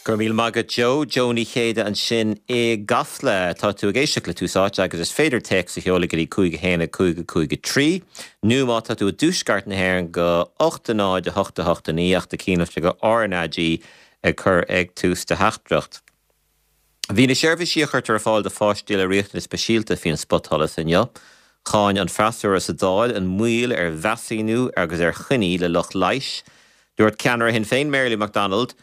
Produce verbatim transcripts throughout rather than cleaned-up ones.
Go raibh míle maith agat Joe, Joe Ní Chéide ansin i gCasla tá tú ag éisteacht le Tús Áite agus is féidir téacs a sheoladh go dtí cúig a haon cúig cúig trí, nó má tá tú i dtuaisceart na hÉireann go ocht náid a hocht a hocht a naoi ach cuimhnigh go RnaG ag cur ag tús do theachtaireacht. Bhí na seirbhísí a chuirtear ar fáil do pháistí le riachtanais speisialta faoin spotsholas inniu. Cháin an freasúra sa Dáil an mhoill ar mheasúnú agus ar choinní le lucht leighis. Dúirt ceannaire Shinn Féin Mary Lou McDonald,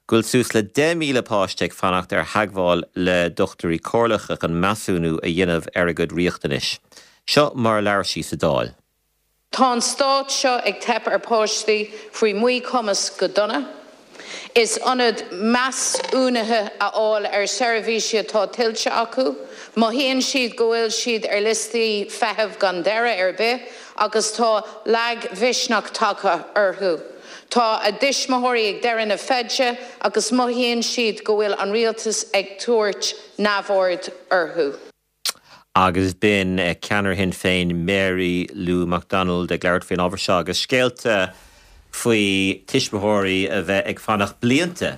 go bhfuil suas le deich míle páiste ag fanacht ar theagmháil le dochtúirí comhairleacha chun measúnú a dhéanamh ar a gcuid riachtanais. Seo mar labhair sí sa Dáil. Tá an stát seo ag teip ar pháistí faoi mhíchumas go dona. In ionad measúnuithe a fháil ar seirbhísí atá tuillte acu, mothaíonn siad go bhfuil siad ar liostaí feithimh gan deireadh ar bith agus tá lagmhisneach tagtha orthu. Tá a dtuismitheoirí ag deireadh na feide agus mothaíonn siad go bhfuil an rialtas ag tabhairt neamhaird orthu. Agus b'in ceannaire Shinn Féin Mary Lou McDonald ag labhairt faoin ábhar seo agus scéalta faoi tuismitheoirí a bheith ag fanacht blianta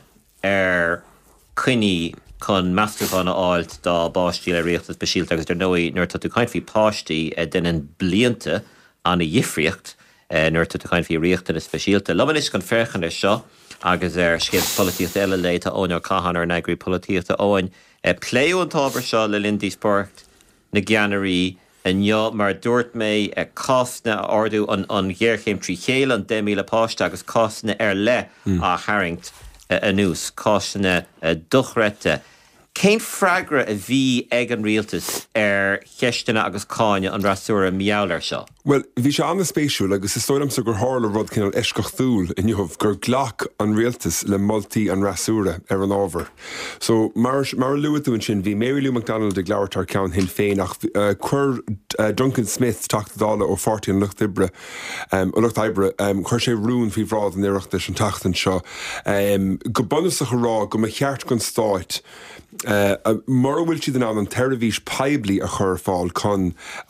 ar choinní chun measúnú a fháil dá bpáistí le riachtanais speisialta agus ar ndóigh nuair atá tú ag caint faoi páistí déanann blianta an-difríocht nuair atá tú ag caint faoi riachtanais speisialta. Liom anois chun féachaint air seo agus ar scéal polaitíochta eile le tá Eoin Ó Catháin ár n-eagraí polaitíochta Eoin. Pléadh an t-ábhar seo le linn díospóireacht na gceannairí inniu mar dúirt mé cásanna a ardú an an ghéarchéim trí chéile an deich míle páiste agus cásanna ar leith á tharraingt anuas, cásanna dochreidte. Cén freagra a bhí ag an rialtas ar cheisteanna agus cáineadh an fhreasúra mar gheall air seo? Well, bhí sé an-spéisiúil agus is dóigh liomsa gur tharla rud cineál eisceachtúil inniu gur ghlac an rialtas le moltaí an fhreasúra ar an ábhar. So mar mar a luaigh tú ansin bhí Mary Lou McDonald ag labhairt thar ceann Shinn Féin ach uh, chuir uh, Duncan Smith Teachta Dála ó Pháirtí an Lucht Oibre um, Lucht Oibre um, chuir sé rún faoi bhráid an Oireachtais an tseachtain seo um, go bunúsach a rá go mba cheart don stát Uh, mura bhfuil siad in ann an tseirbhís poiblí a chur fáil chun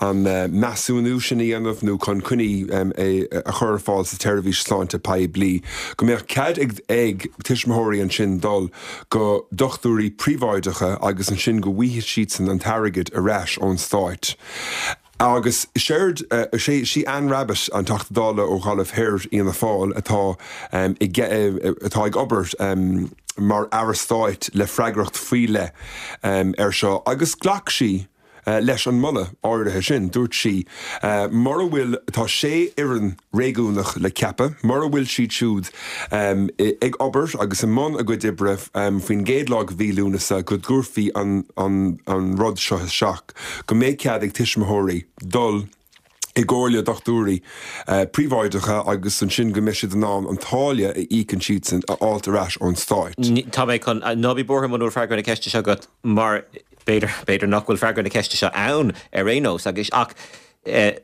an uh, measúnú sin a dhéanamh nó chun coinní um, a, a chur fáil sa tseirbhís sláinte poiblí. Go mbeadh cead ag ag tuismitheoirí ansin dul go dochtúirí príobháideacha agus ansin go bhfaighidh siadsan an t-airgead ar ais ón stát. Agus séard uh, sé sí Anne Rabbitte an Teachta Dála ó Ghaillimh Thoir Fhianna Fáil atá um, atá ag obair um, mar aire stáit le freagracht faoi leith um, ar seo agus ghlac sí uh, leis an moladh áirithe sin dúirt sí uh, mura bhfuil tá sé fhoireann réigiúnach le ceapadh, mura bhfuil siad siúd um, ag obair agus i mbun a gcuid oibre um, faoin gcéad lá de mhí Lúnasa go gcuirfí an, an, an rud seo isteach, go mbeidh cead ag tuismitheoirí dul i gcomhairle dochtúirí uh, príobháideacha agus ansin go mbeidh siad in ann an táille a íocann siadsan a fháil ar ais ón stát. Tá mé chun ná bí buartha mura bhfuil freagra na ceiste seo agat mar b'fhéidir b'fhéidir nach bhfuil freagra na ceiste seo ann ar aon nós agus ach eh,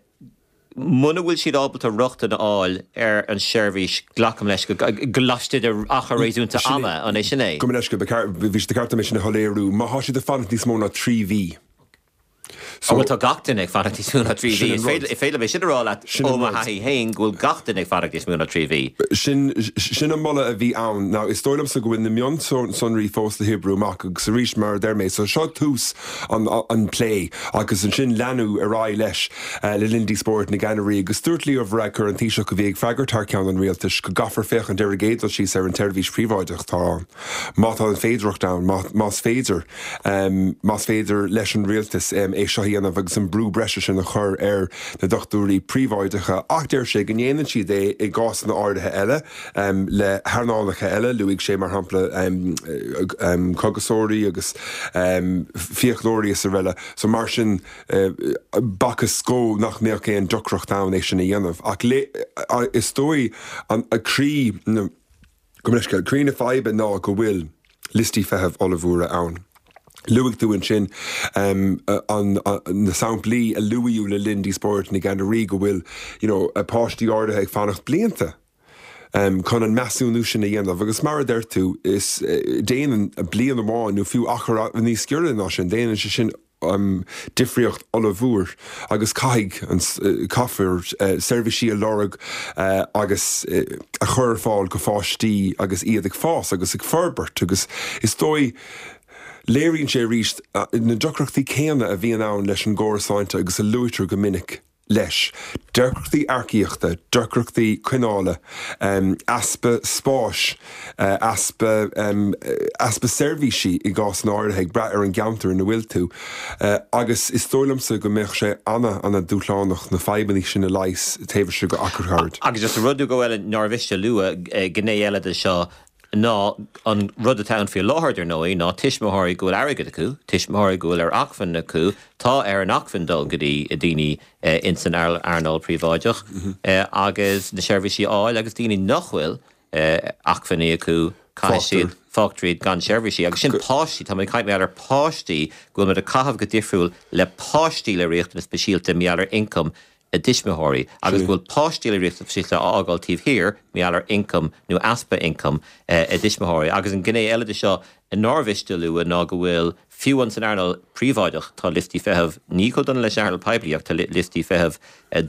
muna bhfuil siad ábalta rochtain a fháil ar an seirbhís glacaim leis go laistigh de achar réasúnta ama an é sin é. Go leis go bhí de ceart sin a shoiléiriú, má tá siad ag fanacht níos mó ná trí mhí. So bhfuil tá gach duine ag fanacht níos mó ná trí mhí. Is féidir liom sin a rá leat ó mo thaithí féin go bhfuil gach duine ag fanacht níos mó ná trí mhí. Sin sin an moladh a bhí ann ná is dóigh liomsa go bhfuil na mionsonraí fós le hoibriú amach agus arís mar a deir mé, so seo tús an, an plé agus ansin leanadh ar aghaidh leis uh, le linn díospóireacht na gceannairí agus dúirt Leo Varadkar an Taoiseach a bhí ag freagairt thar ceann an rialtais go gcaithfear féachaint ar an gcéad dul síos ar an tseirbhís phríobháideach tá má tá an féidearthacht ann más féidir um, más féidir leis an rialtas um, é seo dhéanamh agus an brú breise sin a chur ar na dochtúirí príobháideacha ach deir sé go ndéanann siad é i gcásanna áirithe eile um, le hearnálacha eile luaigh sé mar shampla um, um, cógaiseoirí agus um, fiaclóirí is araile so mar sin uh, b'fhacthas dó nach mbeadh aon deacracht ann é sin a dhéanamh ach le uh, is dóigh an a croí go leis croí na faidhbe ná go bhfuil liostaí feithimh ollmhóra ann. Luaigh tú ansin um, an, an, na samplaí a luadh le linn díospóireacht na gceannairí go bhfuil you know, páistí áirithe ag fanacht blianta. Um, chun an measúnú sin a dhéanamh agus mar a deir tú is uh, déanann bliain amháin nó fiú achar níos giorra ná sin déanann sé sin difríocht ollmhór agus caithfidh caithfear seirbhísí a lorg agus a chur ar fáil go pháistí agus iad ag fás agus ag forbairt agus is dóigh léiríonn sé arís na deacrachtaí céanna a bhíonn ann leis an gcóras sláinte agus a luaitear go minic leis. Deacrachtaí earcaíochta, deacrachtaí coinneála, easpa spáis, easpa easpa seirbhísí i gcás áirithe ag brath ar an gceantar ina bhfuil tú. Agus is dóigh liomsa go mbeadh sé ana ana dúshlánach na fadhbanna sin a leigheas taobh istigh de achar gairid. Agus just rud go bhfuil nár mhiste a lua gné eile de seo ná an rud atá ann faoi láthair ar ndóigh ná tuismitheoirí go bhfuil airgead acu, tuismitheoirí go bhfuil ar acmhainn acu, tá ar an acmhainn dul go dtí daoine ins an earnáil príobháideach agus na seirbhísí a fháil agus daoine nach bhfuil acmhainní acu caithfidh siad fágtar iad gan seirbhísí agus sin páistí tá mé ag caint ar páistí go bhfuil muid ag caitheamh go difriúil le páistí le riachtanas speisialta mar gheall ar ioncam a dtuismitheoirí agus go bhfuil páistí le riachtanas speisialta á fhágáil taobh thiar mar gheall ar ioncam nó easpa ioncam a dtuismitheoirí agus an gné eile de seo nár mhiste a lua ná go bhfuil fiú an san earnáil príobháideach tá liostaí feithimh ní chomh dona leis an earnáil poiblí ach tá liostaí feithimh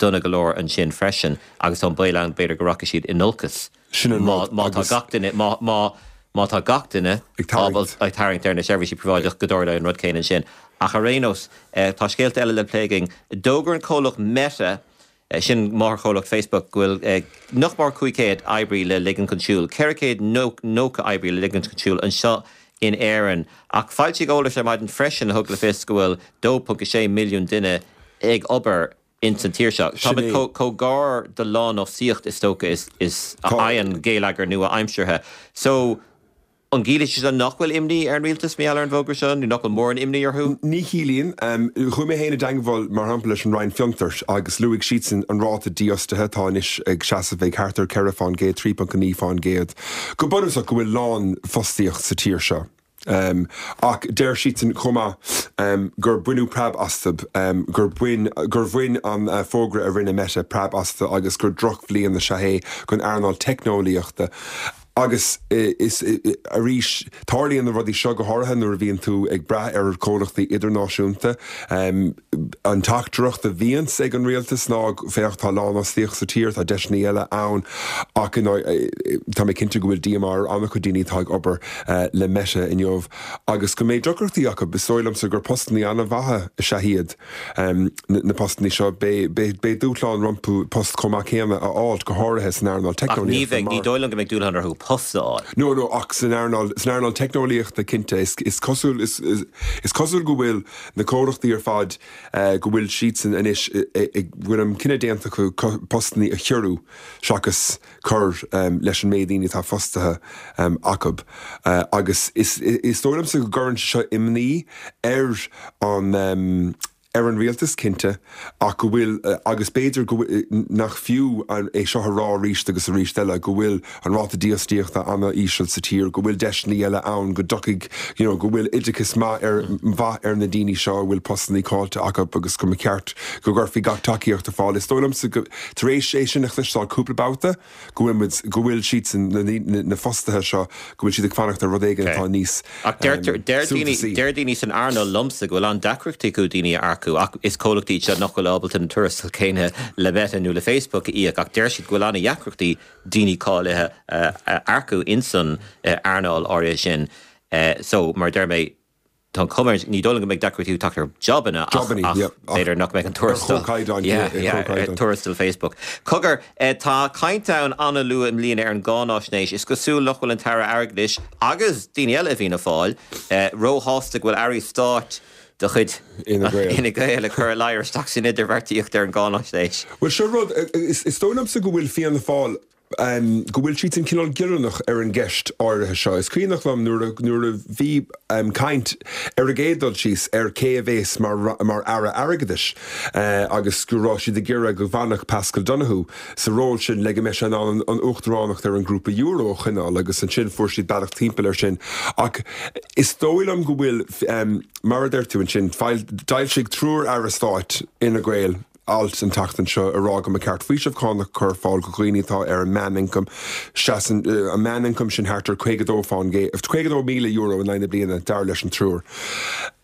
dona go leor ansin freisin agus tá an baol ann b'fhéidir go rachaidh siad in olcas Sin an má má tá gach duine má má má tá gach duine Ag tarraingt. ag tarraingt ar na seirbhísí príobháideach go dtarlóidh an rud céanna ansin. Ach ar aon nós tá scéalta eile le plé againn. D'fhógair an comhlacht Meta sin máthairchomhlacht Facebook go bhfuil nach mór cúig chéad oibrí le ligean chun siúil, ceithre chéad nócha oibrí le ligean chun siúil anseo in Éirinn. Ach foilsíodh eolas ar maidin freisin a thug le fios go bhfuil dó ponc a sé milliún duine ag obair ins an tír seo. Tá Sin é. chomh gar do lánfhostaíocht is dócha is is a fhaigheann geilleagar nua-aimseartha. So an gciallaíonn sé nach bhfuil imní ar an rialtas mar gheall ar an bhfógra seo nó nach bhfuil mórán imní orthu? Ní chiallaíonn chuaigh mé féin i dteagmháil mar shampla leis an Roinn Fiontar agus luaigh siadsan an ráta dífhostaithe atá anois ag seasamh ag thart ar ceithre faoin gcéad, trí ponc naoi faoin gcéad. Go bunúsach go bhfuil lánfhostaíocht sa tír seo. Um, ach deir siadsan chomh maith um, gur baineadh preab astu um, gur bhain gur bhain an uh, fógra a rinne Meta preab astu agus gur drochbhliain is ea é don earnáil teicneolaíochta. Agus is arís tarlaíonn na rudaí seo go háirithe nuair a bhíonn tú ag brath ar chomhlachtaí idirnáisiúnta. Um, an teachtaireacht a bhíonns ag an rialtas ná féach tá lánfhostaíocht sa tír tá deiseanna eile ann ach tá mé cinnte go bhfuil díomá ar an-chuid daoine atá ag obair uh, le Meta inniu agus go mbeidh deacrachtaí acu is dóigh liomsa gur postanna an-mhaithe is ea iad um, na, na postanna seo beidh dúshlán rompu post chomh maith céanna a fháil go háirithe san earnáil Ach ní bheidh ní dóigh liom go mbeidh dúshlán orthu post a fháil. No no ach san earnáil san earnáil teicneolaíochta cinnte is, is cosúil is, is, is cosúil go bhfuil na comhlachtaí ar fad uh, go bhfuil siadsan anois bhfuil an cinneadh déanta acu postanna a chiorrú seachas cur um, leis an méid daoine atá fostaithe um, acu. Uh, agus is, is dóigh liomsa go gcuireann seo imní ar an um, ar an rialtas cinnte ach go bhfuil agus b'fhéidir go nach fiú é seo a rá arís agus arís eile go bhfuil an ráta dífhostaíochta an-íseal sa tír, go bhfuil deiseanna eile ann go dtiocfaidh you know, go bhfuil oideachas maith ar mhaith ar na daoine seo bhfuil postanna caillte acu agus go mba cheart go gcuirfí gach tacaíocht ar fáil. Is dóigh liomsa tar éis é sin a chloisteáil cúpla babhta go bhfuil go bhfuil siad na, na, na fostaithe seo go bhfuil siad ag fanacht ar rud éigin atá níos Ach deir daoine san earnáil liomsa go bhfuil an-deacrachtaí acu daoine a earcú ach is comhlachtaí seo nach bhfuil ábalta an tuarastal céanna le Meta nó le Facebook a íoc ach deir siad go bhfuil an-deacrachtaí daoine cáilithe a earcú insan earnáil áirithe sin. So mar deir mé tá cumar ní dóigh go mbeidh deacrachtaí teacht ar jobanna b'fhéidir nach mbeidh an tuarastal tuarastal Facebook. Cogar tá caint ann an-luath i mbliana ar an gcáinaisnéis is cosúil nach bhfuil an tAire Airgeadais agus daoine eile i bhFianna Fáil róshásta go bhfuil airí stáit de chuid Fhine Gael ag cur a ladhar isteach san idirbheartaíocht ar an gcáinaisnéis. Well seo rud is dóigh liomsa go bhfuil Fianna Fáil um, go bhfuil siad an cineál giorránach ar an gceist áirithe seo. Is cuimhneach liom nuair nuair a bhí um, caint ar a gcéad dul síos ar cé a bheas mar, mar aire airgeadais uh, agus go raibh siad ag iarraidh go bhfanfadh Pascal Donoghue sa ról sin le go mbeadh sé an an uachtaránacht ar an grúpa euro a choinneáil agus ansin fuair siad bealach timpeall ar sin. Ach is dóigh liom go bhfuil um, mar a deir tú ansin d'fhoilsigh triúr aire stáit Fhine Gael alt an tseachtain seo a rá go mba cheart faoiseamh cánach a chur ar fáil go dhaoine atá ar an meánioncam seasann an meánioncam sin thart ar caoga dó faoin caoga dó míle euro in aghaidh na bliana dar leis an triúr.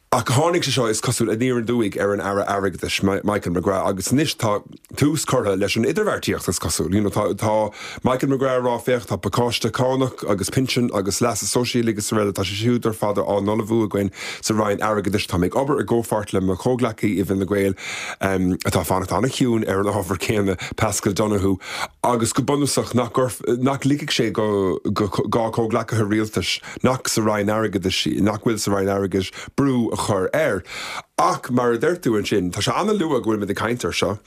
Ach tháinig sé seo is cosúil aniar aduaidh ar an Aire Airgeadais Michael McGrath agus anois tá tús curtha leis an idirbheartaíocht is cosúil. You know, tá, tá Michael McGrath rá féach tá pacáiste cánach agus pinsean agus leasa sóisialaigh agus araile tá sé siúd ar fad á n-ullmhú againn sa Roinn Airgeadais tá mé ag obair i gcomhpháirt le mo chomhghleacaí i bhFine Gael um, atá fanacht an-chiúin ar an ábhar céanna Paschal Donohoe agus go bunúsach nach, nach ligfidh sé go, go, go comhghleacaithe rialtais nach sa Roinn Airgeadais nach bhfuil sa Roinn Airgeadais brú a chur air. Ach mar a deir tú ansin, tá sé an-luath go bhfuil muid ag caint air seo.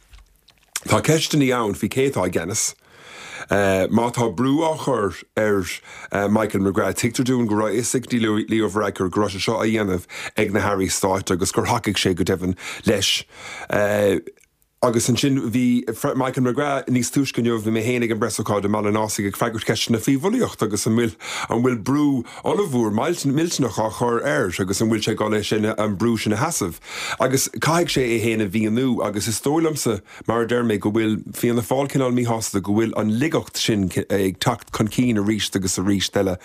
Tá ceisteanna ann faoi cé atá i gceannas. Uh, má tá brú á chur ar uh, Michael McGrath tuigtear dúinn go raibh a fhios ag Leo Varadkar go raibh sé seo á dhéanamh ag na hairí stáit agus gur thacaigh sé go deimhin leis. Uh, Agus ansin bhí Michael McGrath níos túisce inniu bhí mé féin ag an bpreasócáid i mBaile an Ásaigh ag freagairt ceisteanna faoi bhulaíocht agus an bhfuil an bhfuil brú ollmhór millteanach á chur air agus an bhfuil sé ag dul sin an brú sin a sheasamh. Agus caithfidh sé é féin a mhíniú agus is dóigh liomsa mar a deir mé go bhfuil Fianna Fáil cineál míshásta go bhfuil an laigeacht sin ag teacht chun cinn arís agus arís eile.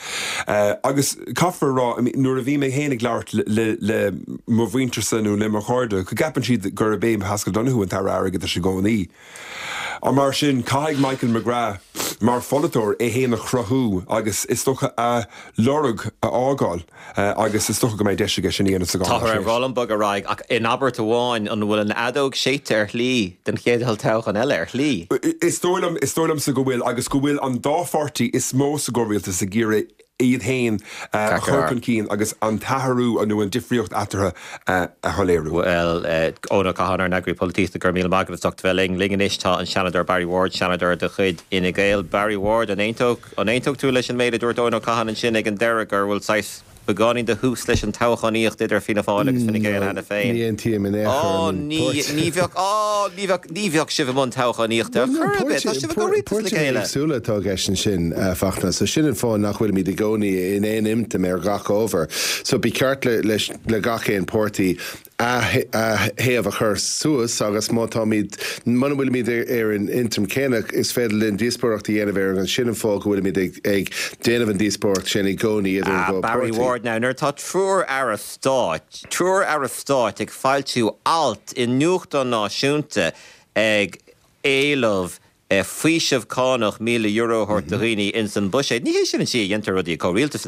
Uh, agus caithfear rá nuair a bhí mé féin ag labhairt le, le mo mhuintirsa nó le mo chairde, go gceapann siad gurb é Paschal Donohoe an t-aire airgeadais i gcónaí. A mar sin caithfidh Michael McGrath mar pholaiteoir é féin a chruthú agus is dócha a lorg a fhágáil uh, agus is dócha go mbeidh deis aige sin a dhéanamh Tá ar Rollenbug a rá ach in abairt amháin an bhfuil an fheadóg séidte ar shlí den chéad toghchán eile ar shlí. Is dóigh is dóigh liomsa go bhfuil agus go bhfuil an dá pháirtí is mó sa gcomhrialtas ag iarraidh iad féin uh, chur chun cinn agus an t-athrú nó an difríocht eatarthu uh, a shoiléiriú. Well Eoin Ó Catháin ár n-eagraí polaitíochta go raibh míle maith agat as ucht bheith linn linn anois tá an Seanadóir Barry Ward Seanadóir de chuid Fhine Gael Barry Ward an aontódh tú leis an méid a dúirt Eoin Ó Catháin ansin ag an deireadh gur bhfuil saghas beagáinín de thús leis an toghchánaíocht idir Fianna Fáil agus Fine Gael cheana féin. Ní aontaím in aon chor. Ní bheadh ní bheadh ní bheadh sibh i mbun toghchánaíochta Súla atá gceist sin Fachtna, so sin an fáth nach bhfuilimid i gcónaí in aon intinn ar gach ábhar. So ba cheart le, le, le gach aon pháirtí a thaobh a chur suas agus má táimid muna bhfuilimid ar an intinn céanna is féidir linn díospóireacht a dhéanamh ar an sin an fáth go bhfuilimid ag, ag déanamh an díospóireacht sin i gcónaí idir ah, Barry Ward now nuair tá triúr aire stáit triúr aire stáit ag foilsiú alt i nuachtán náisiúnta ag éileamh eh, faoiseamh cánach míle euro a thabhairt do dhaoine in san buiséad. Ní hé sin an tslí a dhéantar rudaí comhrialtas.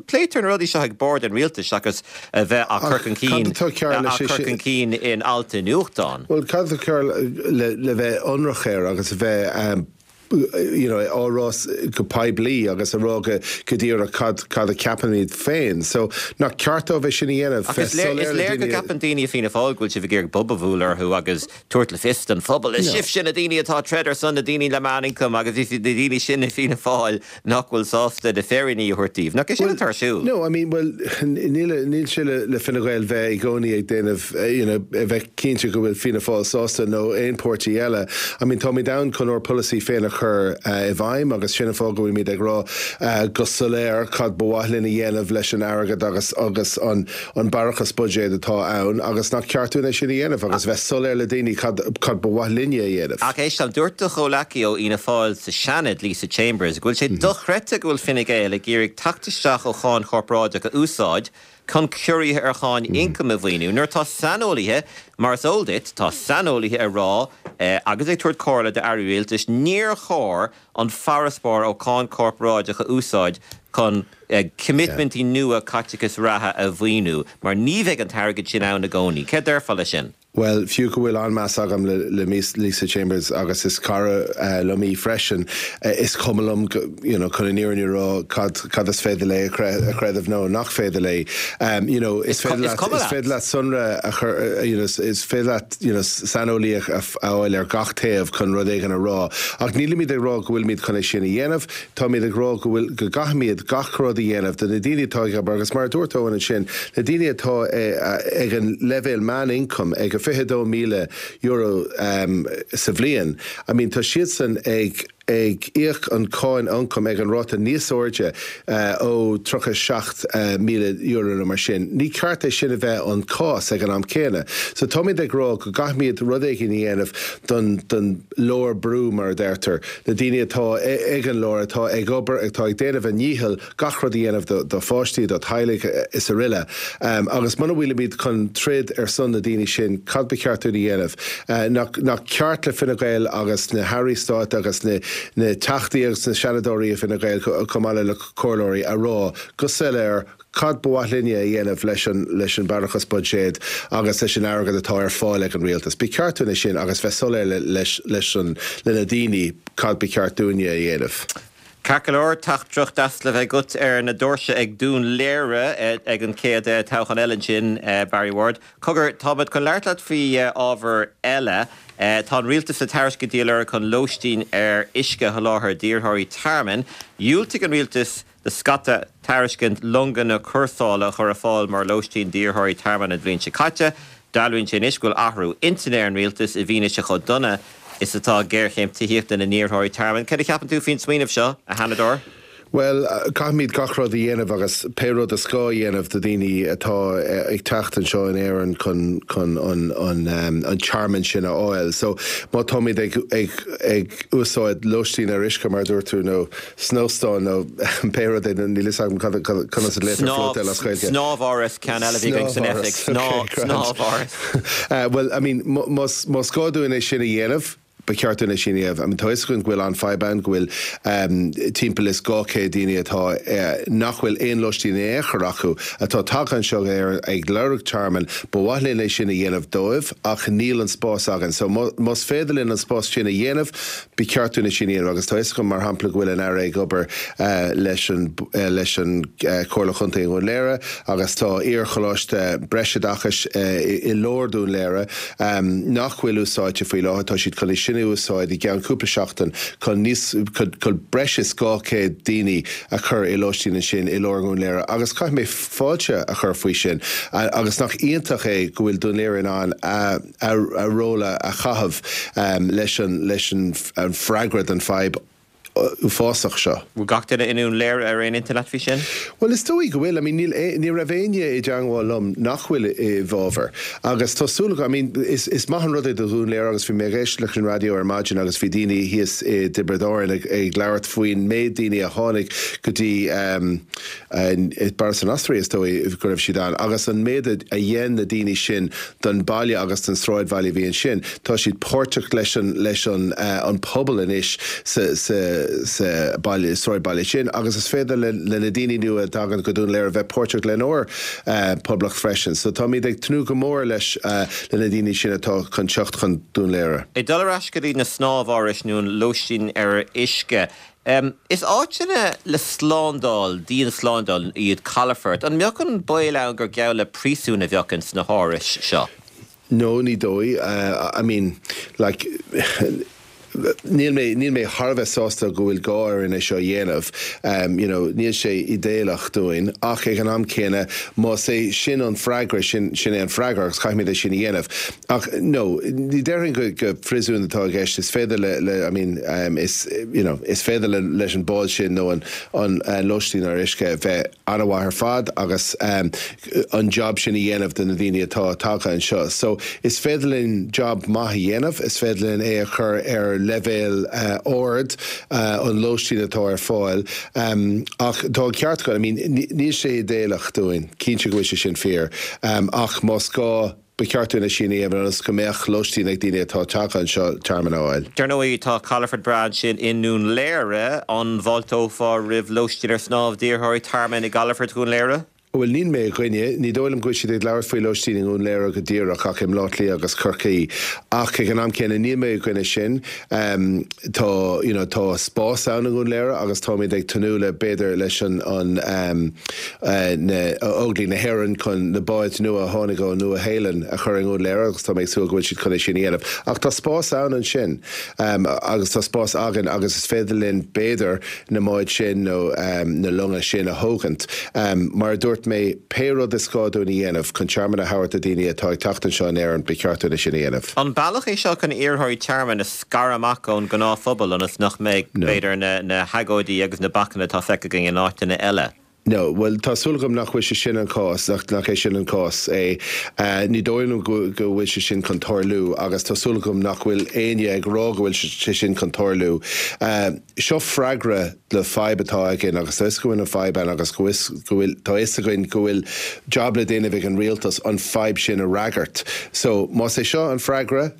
Pléitear na rudaí seo ag bord an rialtais agus a bheith á chur chun cinn chun cinn in alt i nuachtán. Well cad ceart le, le bheith ionraic air agus a bheith um, you know, á rá go poiblí agus a rá go go díreach cad cad a ceapaimid féin. So nach ceart dóibh sin a dhéanamh Is léir go gceapann daoine Fianna Fáil go bhfuil sibh ag iarraidh bob a bhualadh orthu agus tabhairt le fios don phobal. Is sibh sin na daoine atá troid ar son na daoine le meánioncam agus bhí na daoine sin i Fianna Fáil nach bhfuil sásta na féiríní a thabhairt daoibh. Nach é sin atá ar siúl? No, I mean, well, níl níl sé le, le Fine Gael bheith i gcónaí ag déanamh you know, bheith cinnte go bhfuil Fianna Fáil sásta nó aon pháirtí eile. I mean, táimid ann chun ár polasaí féin a chur uh, i bhfeidhm agus sin an fáth go bhfuilimid ag rá uh, go soiléir cad ba mhaith linn a dhéanamh leis an airgead agus agus an an barrachas buiséid atá ann agus nach ceart dúinn é sin a dhéanamh agus bheith soiléir le daoine cad cad ba mhaith linne a dhéanamh. Ach éist an dúirt do chomhghleacaí ó Fhianna Fáil sa Seanad Lisa Chambers, go bhfuil sé dochreidte go bhfuil Fine Gael ag iarraidh teacht isteach ó cháin chorparáideach a úsáid chun ciorruithe ar cháin ioncaim a mhaoiniú. Nuair tá saineolaithe mar is eol duit tá saineolaithe ag rá eh, agus ag tabhairt comhairle d'airí rialtais níor chóir an farasbarr ó cháin chorparáideach a úsáid chun eh, commitmentí nua caiteachas reatha a mhaoiniú, mar ní bheidh an t-airgead sin ann i gcónaí. Cé déarfá leis sin? Well, fiú go bhfuil an-mheas agam le, le Lisa Chambers agus is cara uh, liom í freisin uh, is cuma liom you know, chun an fhírinne a rá cad, cad is féidir léi a chreideamh nó nach féidir léi. Um, you know, is féidir is féidir leat sonra a chur uh, you know, is féidir leat you know, saineolaí a fháil ar gach taobh chun rud éigin a rá. Ach nílimid ag rá go bhfuilimid chun é sin a dhéanamh, Táimid ag rá go bhfuil go gcaithfimid gach rud a dhéanamh do na daoine atá ag agus mar dúirt Eoin ansin, na daoine atá ag an leibhéal meánioncam ag a fiche dó míle euro um, sa bhliain. I mean, tá siadsan ag ag íoc an cáin ioncaim ag an ráta níos airde ó tríocha seacht míle euro nó mar sin. Ní ceart é sin a bheith an cás ag an am céanna. So táimid ag rá go gcaithfimid rud éigin a dhéanamh don don lár brú mar a deirtear, na daoine atá ag an lár atá ag obair atá ag déanamh a ndícheall gach rud a dhéanamh do do pháistí, do theaghlaigh is araile. Um, agus muna bhfuilimid chun troid ar son na daoine sin, cad ba cheart dúinn a dhéanamh? Uh, nach, nach ceart le Fine Gael agus na hairí stáit agus na, na teachtaí agus na seanadóirí i Fine Gael chomh maith le comhairleoirí a rá go soiléir cad ba mhaith linne a dhéanamh leis an leis an barrachas buiséid agus leis an airgead atá ar fáil ag an rialtas. Ba cheart dúinn é sin agus bheith soiléir leis leis an le na daoine cad ba cheart dúinne a dhéanamh. Ceart go leor teachtaireacht deas le bheith agat ar na doirse ag Dún Léire ag an chéad toghchán eile ansin, Barry Ward. Cogar, táimid chun labhairt leat faoi ábhar eile. Tá an rialtas ag tairiscintí a lorg chun lóistín ar uisce a sholáthar d'iarrthóirí tearmainn. Dhiúltaigh an rialtas do scata tairiscint longanna cúrsála a chur ar fáil mar lóistín d'iarrthóirí tearmainn an bhliain seo caite. Dealraíonn sé anois go bhfuil athrú intinne ar an rialtas i bhfianaise chomh dona is atá géarchéim tithíochta na n-iarrthóirí tearmainn. Cad a cheapann tú faoin smaoineamh seo, a Sheanadóir? Bhuel, caithfimid gach rud a dhéanamh agus pé rud is gá a dhéanamh do daoine atá ag teacht anseo in Éirinn chun chun an an an tearmann sin a fháil. So má táimid ag ag ag úsáid lóistín ar uisce mar dúirt tú nó snóstán nó pé rud é níl a fhios agam conas a léitear floatel as Gaeilge. Snámháras ceann eile bhí san oifig snámháras. Well, I mean, más más gá dúinn é sin a dhéanamh, ba cheart dúinn é sin a dhéanamh. I mean, tá a fhios againn go bhfuil an fadhb ann go bhfuil um, timpeall is dhá chéad daoine atá uh, nach bhfuil aon lóistín in aon chor acu atá tagtha anseo ar ag lorg tearmann, ba mhaith linn é sin a dhéanamh dóibh ach níl an spás againn. So más féidir linn an spás sin a dhéanamh, ba cheart dúinn é sin a dhéanamh agus tá a fhios agam mar shampla go bhfuil an Aire ag obair uh, leis an uh, leis an uh, Comhairle Chontae Dhún Léire agus tá iarcholáiste breisoideachais uh, i, i lár Dún Léire um, nach bhfuil úsáidte faoi láthair tá siad chun é sin a úsáid i gceann cúpla seachtain chun níos chun breis is dhá chéad daoine a chur i lóistín ansin i lár Dhún Léire agus caithfidh mé fáilte a chur faoi sin agus nach iontach é go bhfuil Dún Léire in ann a, a, a ról a chaitheamh um, leis an leis an, an freagra don fadhb uafásach seo. Bhfuil gach duine i nDún Léire ar aon intinn leat faoi sin? Well is dóigh go bhfuil, I mean, níl ní raibh éinne i dteagmháil liom nach bhfuil i bhfabhar. Agus tá súil I mean, is, is maith an rud é do Dhún Léire agus bhí mé ag éisteacht leis an raidió ar maidin agus bhí daoine thíos i dTiobraid Árann ag, ag labhairt faoin méid daoine a tháinig go dtí um, Barras an Osraí is dóigh go raibh siad ann, agus an méid a dhein na daoine sin don baile agus don sráidbhaile bhí ansin. Tá siad páirteach leis an, leis an, uh, an pobal anois sa, sa, sa baile sráidbhaile sin, agus is féidir le, le na daoine nua a thagann go Dún Léire bheith páirteach lenár uh, poblacht freisin. So táimid ag tnúth go mór leis uh, le na daoine sin atá chun teacht chun Dún Léire. Ag dul ar ais go dtí na snámhárais nó an lóistín ar uisce. Um, is áiteanna le slándáil, dian-slándáil iad calafoirt. An mbeadh an baol ann gur geall le príosún a bheadh sna hárais seo? No, ní dóigh. Uh, I mean, like, Níl mé níl mé thar a bheith sásta go bhfuil gá orainn é seo dhéanamh. Um, you know, níl sé idéalach dúinn ach ag an am céanna más é sin an freagra sin sin é an freagra agus caithfimid é sin a dhéanamh. Ach no, ní déarfainn go go phríosún atá i gceist is féidir le, le I mean, um, is, you know, is féidir le, leis an bád sin nó an, an, an lóistín ar uisce bheith an-mhaith ar fad agus um, an job sin a dhéanamh do na daoine atá tagtha anseo. So is féidir linn job maith a dhéanamh, is féidir linn é a chur ar leibhéal uh, ard uh, an lóistín atá ar fáil. Um, ach tá ceart I mean, níl sé idéalach dúinn, cinnte go bhfuil sé sin fíor, um, ach más gá ba cheart dúinn é sin a dhéanamh agus go mbeadh lóistín ag daoine atá tagtha anseo tearmann a fháil. Dar ndóigh tá calafort breá ansin i nDún Léire an bhfáilteofá roimh lóistín ar snámh d'iarrthóirí tearmainn i gcalafort Dhún Léire? Bhuel níl mé i gcoinne, ní dóigh liom go bhfuil siad ag labhairt faoi lóistín i nDún Léire go díreach ach i mBleá Cliath agus Corcaigh ach ag an am céanna níl mé i gcoinne sin. Um, tá, you know, tá spás ann i nDún Léire agus táimid ag tnúth le b'fhéidir leis an, an um, uh, na Óglaigh na hÉireann chun na báid nua a tháinig ó Nua-Shéalainn a chur i nDún Léire agus tá mé ag súil go bhfuil siad chun é sin a dhéanamh. Ach tá spás ann ansin um, agus tá spás againn agus is féidir linn b'fhéidir na báid sin nó um, na longa sin a thógaint. Um, mar dúirt dúirt mé, pé rud is gá dúinn a dhéanamh chun tearmann a thabhairt do daoine atá ag teacht anseo in Éirinn, ba cheart dúinn é sin a dhéanamh. An bealach é seo chun iarrthóirí tearmainn a scaradh amach ón ngnáthphobal ionas nach mbeidh, b'fhéidir, na hagóidí agus na bacanna atá feicthe againn in áiteanna eile? No, bhuel, tá súil agam nach bhfuil sé sin an cás, nach nach é sin an cás é. Ní dóigh liom go go bhfuil sé sin chun tarlú agus tá súil agam nach bhfuil éinne ag rá go bhfuil sé sin chun tarlú. Seo freagra le fadhb atá againn agus tá fhios go bhfuil an fadhb ann agus go bhfuil tá fhios againn go bhfuil job le déanamh ag an rialtas an fadhb sin a fhreagairt. So más é seo an freagra,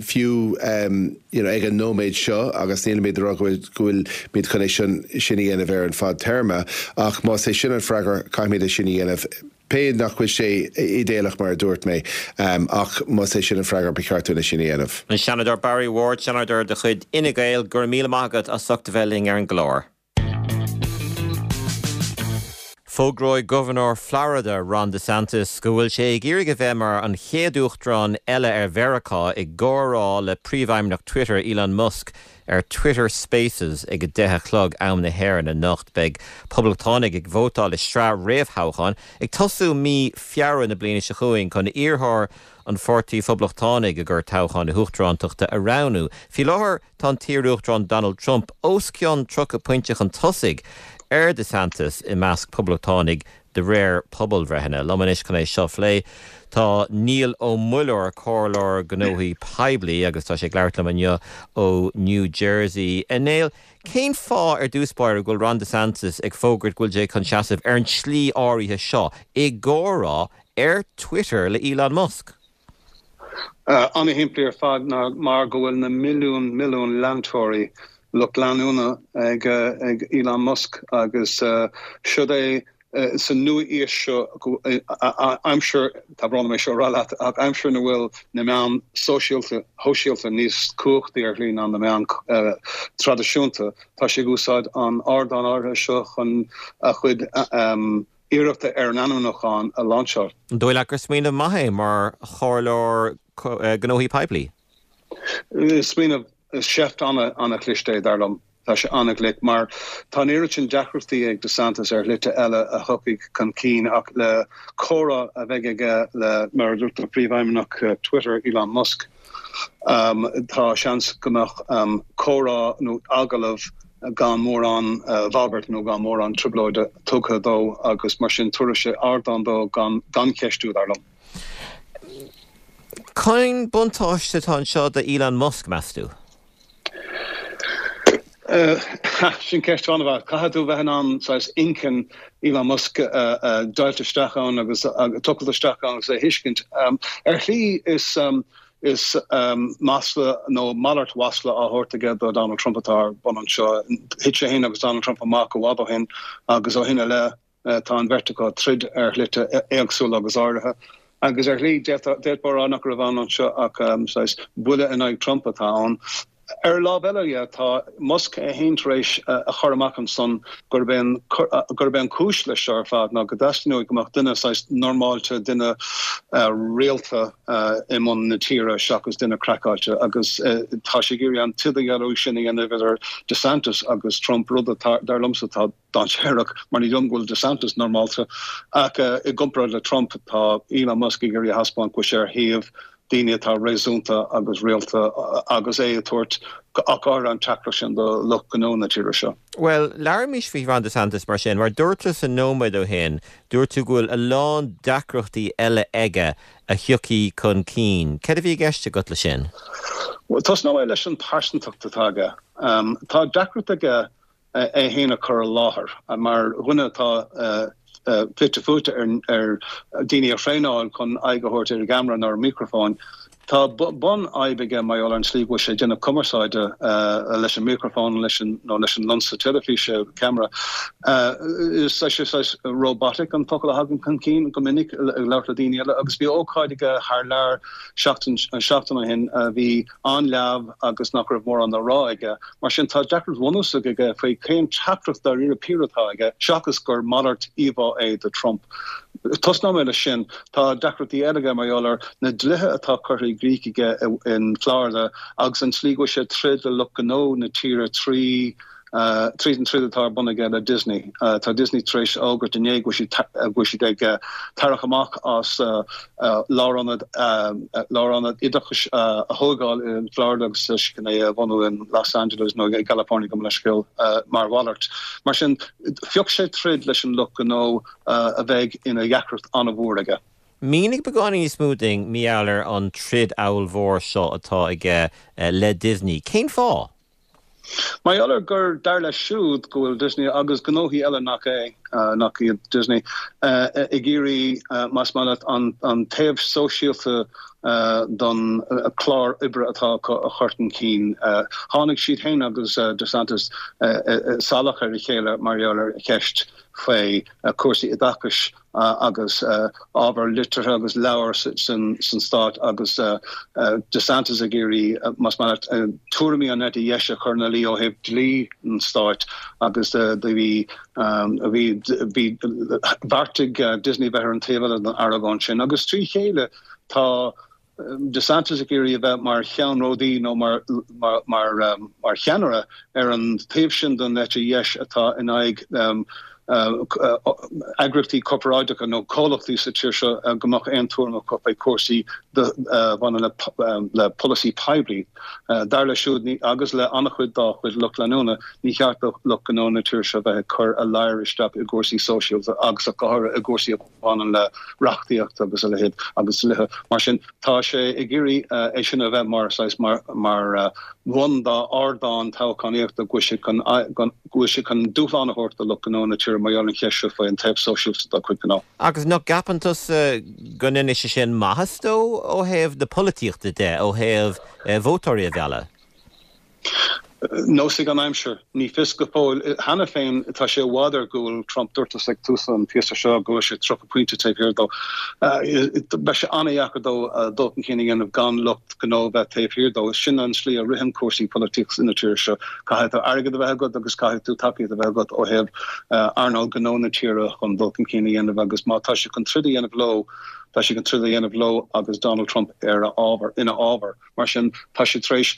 fiú you know, ag an nóiméad seo agus nílimid ag rá go bhfuil go bhfuilimid chun é sin sin a dhéanamh ar an fadtéarma ach más é sin an freagra caithfimid é sin a dhéanamh pé nach bhfuil sé idéalach mar a dúirt mé ach más é sin an freagra ba cheart dúinn é sin a dhéanamh. An Seanadóir Barry Ward, Seanadóir de chuid Fhine Gael, go raibh míle maith agat as ucht a bheith linn ar an gclár. Fógróidh Gobharnóir Florida Ron DeSantis go bhfuil sé ag iarraidh a bheith mar an chéad uachtarán eile ar Mheiriceá i gcomhrá le príomhfheidhmeannach Twitter Elon Musk ar Twitter Spaces ag a deich a chlog am na hÉireann anocht. Beidh poblachtánaigh ag vótáil i sraith réamhthoghchán ag tosú mí Feabhra na bliana seo chugainn chun iarrthóir an Pháirtí Phoblachtánaigh i gcomhair toghchán na huachtarántachta a roghnú. Faoi láthair tá an t-iarUachtarán Donald Trump os cionn tríocha pointe chun tosaigh ar DeSantis i measc poblachtánaigh de réir pobalbhreitheanna. Liom anois chun é seo a phlé tá Niall Ó Muilleoir, comhairleoir gnóthaí poiblí agus tá sé ag labhairt liom inniu ó New Jersey. A Néill, cén fáth ar dtús báire go bhfuil Ron DeSantis ag fógairt go bhfuil sé chun seasamh ar an tslí áirithe seo i gcomhrá ar Twitter le Elon Musk? An-shimplí ar fad ná mar go bhfuil na milliún milliún leantóirí lucht leanúna ag ag Elon Musk agus siod é sa nua-aois seo aimsir tá brón orm é seo a rá leat ach aimsir ina bhfuil na meáin sóisialta shóisialta níos cumhachtaí ar shlí ná na meáin traidisiúnta tá sé ag úsáid an ardán áirithe seo chun a chuid iarrachta ar an ainmniúchán a lainseáil. An dóigh leat gur smaoineamh maith é mar chomhairleoir gnóthaí poiblí? Smaoineamh seift an-chliste é, dar liom. Tá sé an-ghlic mar tá an oiread sin deacrachtaí ag DeSantis ar shlite eile a thiocfaidh chun cinn ach le comhrá a bheidh aige le, mar a dúirt tú, príomhfheidhmeannach Twitter, Elon Musk, tá seans go mbeadh comhrá nó agallamh gan mórán bhagairt nó gan mórán trioblóide tugtha dó agus mar sin tabharfaidh sé ardán dó gan gan cheistiú, dar liom. Cén buntáiste atá anseo do Elon Musk, meas tú? Sin ceist an-mhaith. Caithfidh tú bheith in ann saghas inchinn Elon Musk a deighilt isteach ann agus tochailt isteach ann agus é a thuiscint. Ar shlí is is masla nó malairt mhasla á thabhairt aige do Donald Trump atá ar bun anseo. Thit sé féin agus Donald Trump amach i bhfad ó shin agus ó shin i leith tá an bheirt acu ag troid ar shlite éagsúla agus áirithe. Agus ar shlí, d'fhéadfá a rá nach raibh ann anseo ach saghas buille in aghaidh Trump atá ann. Ar an lámh eile dhe, tá Musk é féin tar éis a chur amach ansan gurb é an gurb é an cúis leis seo ar fad ná go dteastaíonn uaidh go mbeadh duine saghas normáilte, duine rialta i mbun na tíre seachas duine craiceáilte agus tá sé ag iarraidh an t-idirdhealú sin a dhéanamh idir DeSantis agus Trump, rud atá, dar liomsa, atá dainséarach mar ní dóigh liom go bhfuil DeSantis normálta ach i gcomparáid le Trump tá Elon Musk ag iarraidh a thaispeáint go bhfuil sé ar thaobh daoine atá réasúnta agus rialta agus é ag tabhairt ach go háirithe an teachtaireacht sin do lucht gnó na tíre seo. Bhuel, labhraímis faoi Ron DeSantis mar sin. Mar dúirt tusa nóiméad ó shin, dúirt tú go bhfuil a lán deacrachtaí eile aige a thiocfaidh chun cinn. Céard a bhí i gceist agat leis sin? Bhuel, tosnóidh mé leis an pearsantacht atá aige. Tá deacracht aige é féin a chur i láthair mar dhuine atá fite fuaite ar daoine a thraenáil chun aghaidh a thabhairt ar an gceamara nó ar an micreafón. Tá bunfhadhb aige mar gheall ar an tslí go bhfuil sé ag déanamh cumarsáide leis an micreafón leis an nó leis an lionsa teilifíse, ceamara. Is sé saghas robotic an focal a thagann chun cinn go minic ag labhairt le daoine eile agus bhí ócáid aige thar lear seachtain seachtain ó shin a bhí an-leamh agus nach raibh mórán le rá aige. Mar sin, tá deacracht bhunúsach aige faoi cén teachtaireacht dáiríre píre atá aige, seachas gur malairt íomhá é de Trump. Tosnóidh mé leis sin. Tá deacrachtaí eile aige mar gheall ar na dlíthe atá curtha i gcrích aige in Florida agus an tslí go bhfuil sé ag troid le lucht gnó na tíre trí Tríd an troid atá ar bun aige le Disney. Tá Disney tar éis fhógairt inné go bhfuil siad ag tarrac amach as lárionad lárionad oideachais a thógáil in Florida agus chun é a bhunú in Los Angeles nó i gCalifornia gabh mo leithscéal mar mhalairt. Mar sin phioc sé troid leis an lucht gnó a bheidh ina dheacracht an-mhór aige. Mínigh beagáinín níos mó dúinn mar gheall ar an troid ollmhór seo atá aige le Disney. Cén fáth? Mar gheall ar gur dar leis siúd go bhfuil Disney agus gnóthaí eile nach é nach iad Disney ag iarraidh más maith leat an taobh sóisialta don chlár oibre atá acu a chur chun cinn. Tháinig siad féin agus DeSantis salach ar a chéile mar gheall ar cheist faoi cúrsaí oideachais agus ábhar liteartha agus leabhar san stát agus DeSantis ag iarraidh más maith leat tuairimí an eite dheis a chur ina luí ó thaobh dlí an stáit agus do bhí bhí bhí bheartaigh Disney bheith ar an taobh eile den argóint sin agus trí chéile tá DeSantis ag iarraidh a bheith mar cheannródaí nó mar mar mar mar cheannaire ar an taobh sin den eite dheis atá in aghaidh eagraíochtaí corparáideacha nó comhlachtaí sa tír seo go mbeadh aon tuairim acu faoi chúrsaí a bhaineann le polasaí poiblí. Dar leis siúd agus le an-chuid dá chuid lucht leanúna, ní cheart do lucht gnó na tíre seo bheith ag cur a ladhar isteach i gcúrsaí sóisialta agus go háirithe i gcúrsaí a bhaineann le reachtaíocht agus a leithéid agus dlíthe. Mar sin tá sé ag iarraidh é sin a bheith mar saghas mar mar bhun dá ardán toghchánaíochta go bhfuil sé chun go bhfuil sé chun dúshlán a thabhairt do lucht gnó na tíre mar gheall ar an cheist seo faoi an taobh sóisialta dá chuid gnó. Agus nach gceapann tusa go ndéanfaidh sé sin maitheas dó ó thaobh na polaitíochta de, ó thaobh vótóirí a mhealladh? Neosfaidh an aimsir. Ní fios go fóill. Cheana féin tá sé i bhfad ar gcúl Trump. Dúirt tusa ag tús an phíosa seo go bhfuil sé tríocha pointe taobh thiar dó. Beidh sé an-dheacair dó dul chun cinn a dhéanamh gan lucht gnó bheith taobh thiar dó. Sin an slí a ritheann cúrsaí polaitíochta ina tír seo. Caithfidh tú airgead a bheith agat agus caithfidh tú tacaíocht a bheith agat ó thaobh earnáil gnó na tíre chun dul chun cinn a dhéanamh agus má tá sé chun troid a dhéanamh leo, tá sé chun troid a dhéanamh leo agus Donald Trump ar a ábhar, ina fhábhar. Mar sin, tá sé tar éis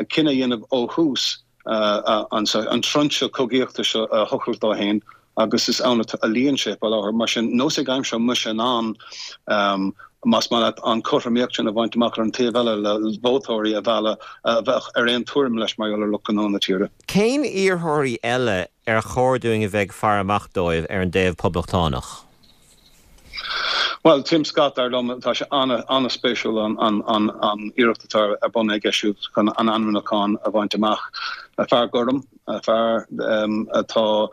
cinneadh a dhéanamh ó thús an trinse cogaíochta seo a thochailt dó féin agus is ann a luíonn sé faoi láthair. Mar sin, neosfaidh an aimsir an mbeidh sé in ann, más maith leat, an chothromaíocht sin a bhaint amach ar an taobh eile le vótóirí a mhealladh a bheadh ar aon tuairim leis mar gheall ar lucht gnó na tíre. Cén iarrthóirí eile ar chóir dúinn a bheith ag faire amach dóibh ar an dtaobh poblachtánach? Bhuel, Tim Scott, dar liom, tá sé an-spéisiúil an iarracht atá ar bun aige siúd chun an ainmniúchán a bhaint amach. Fear gorm, fear atá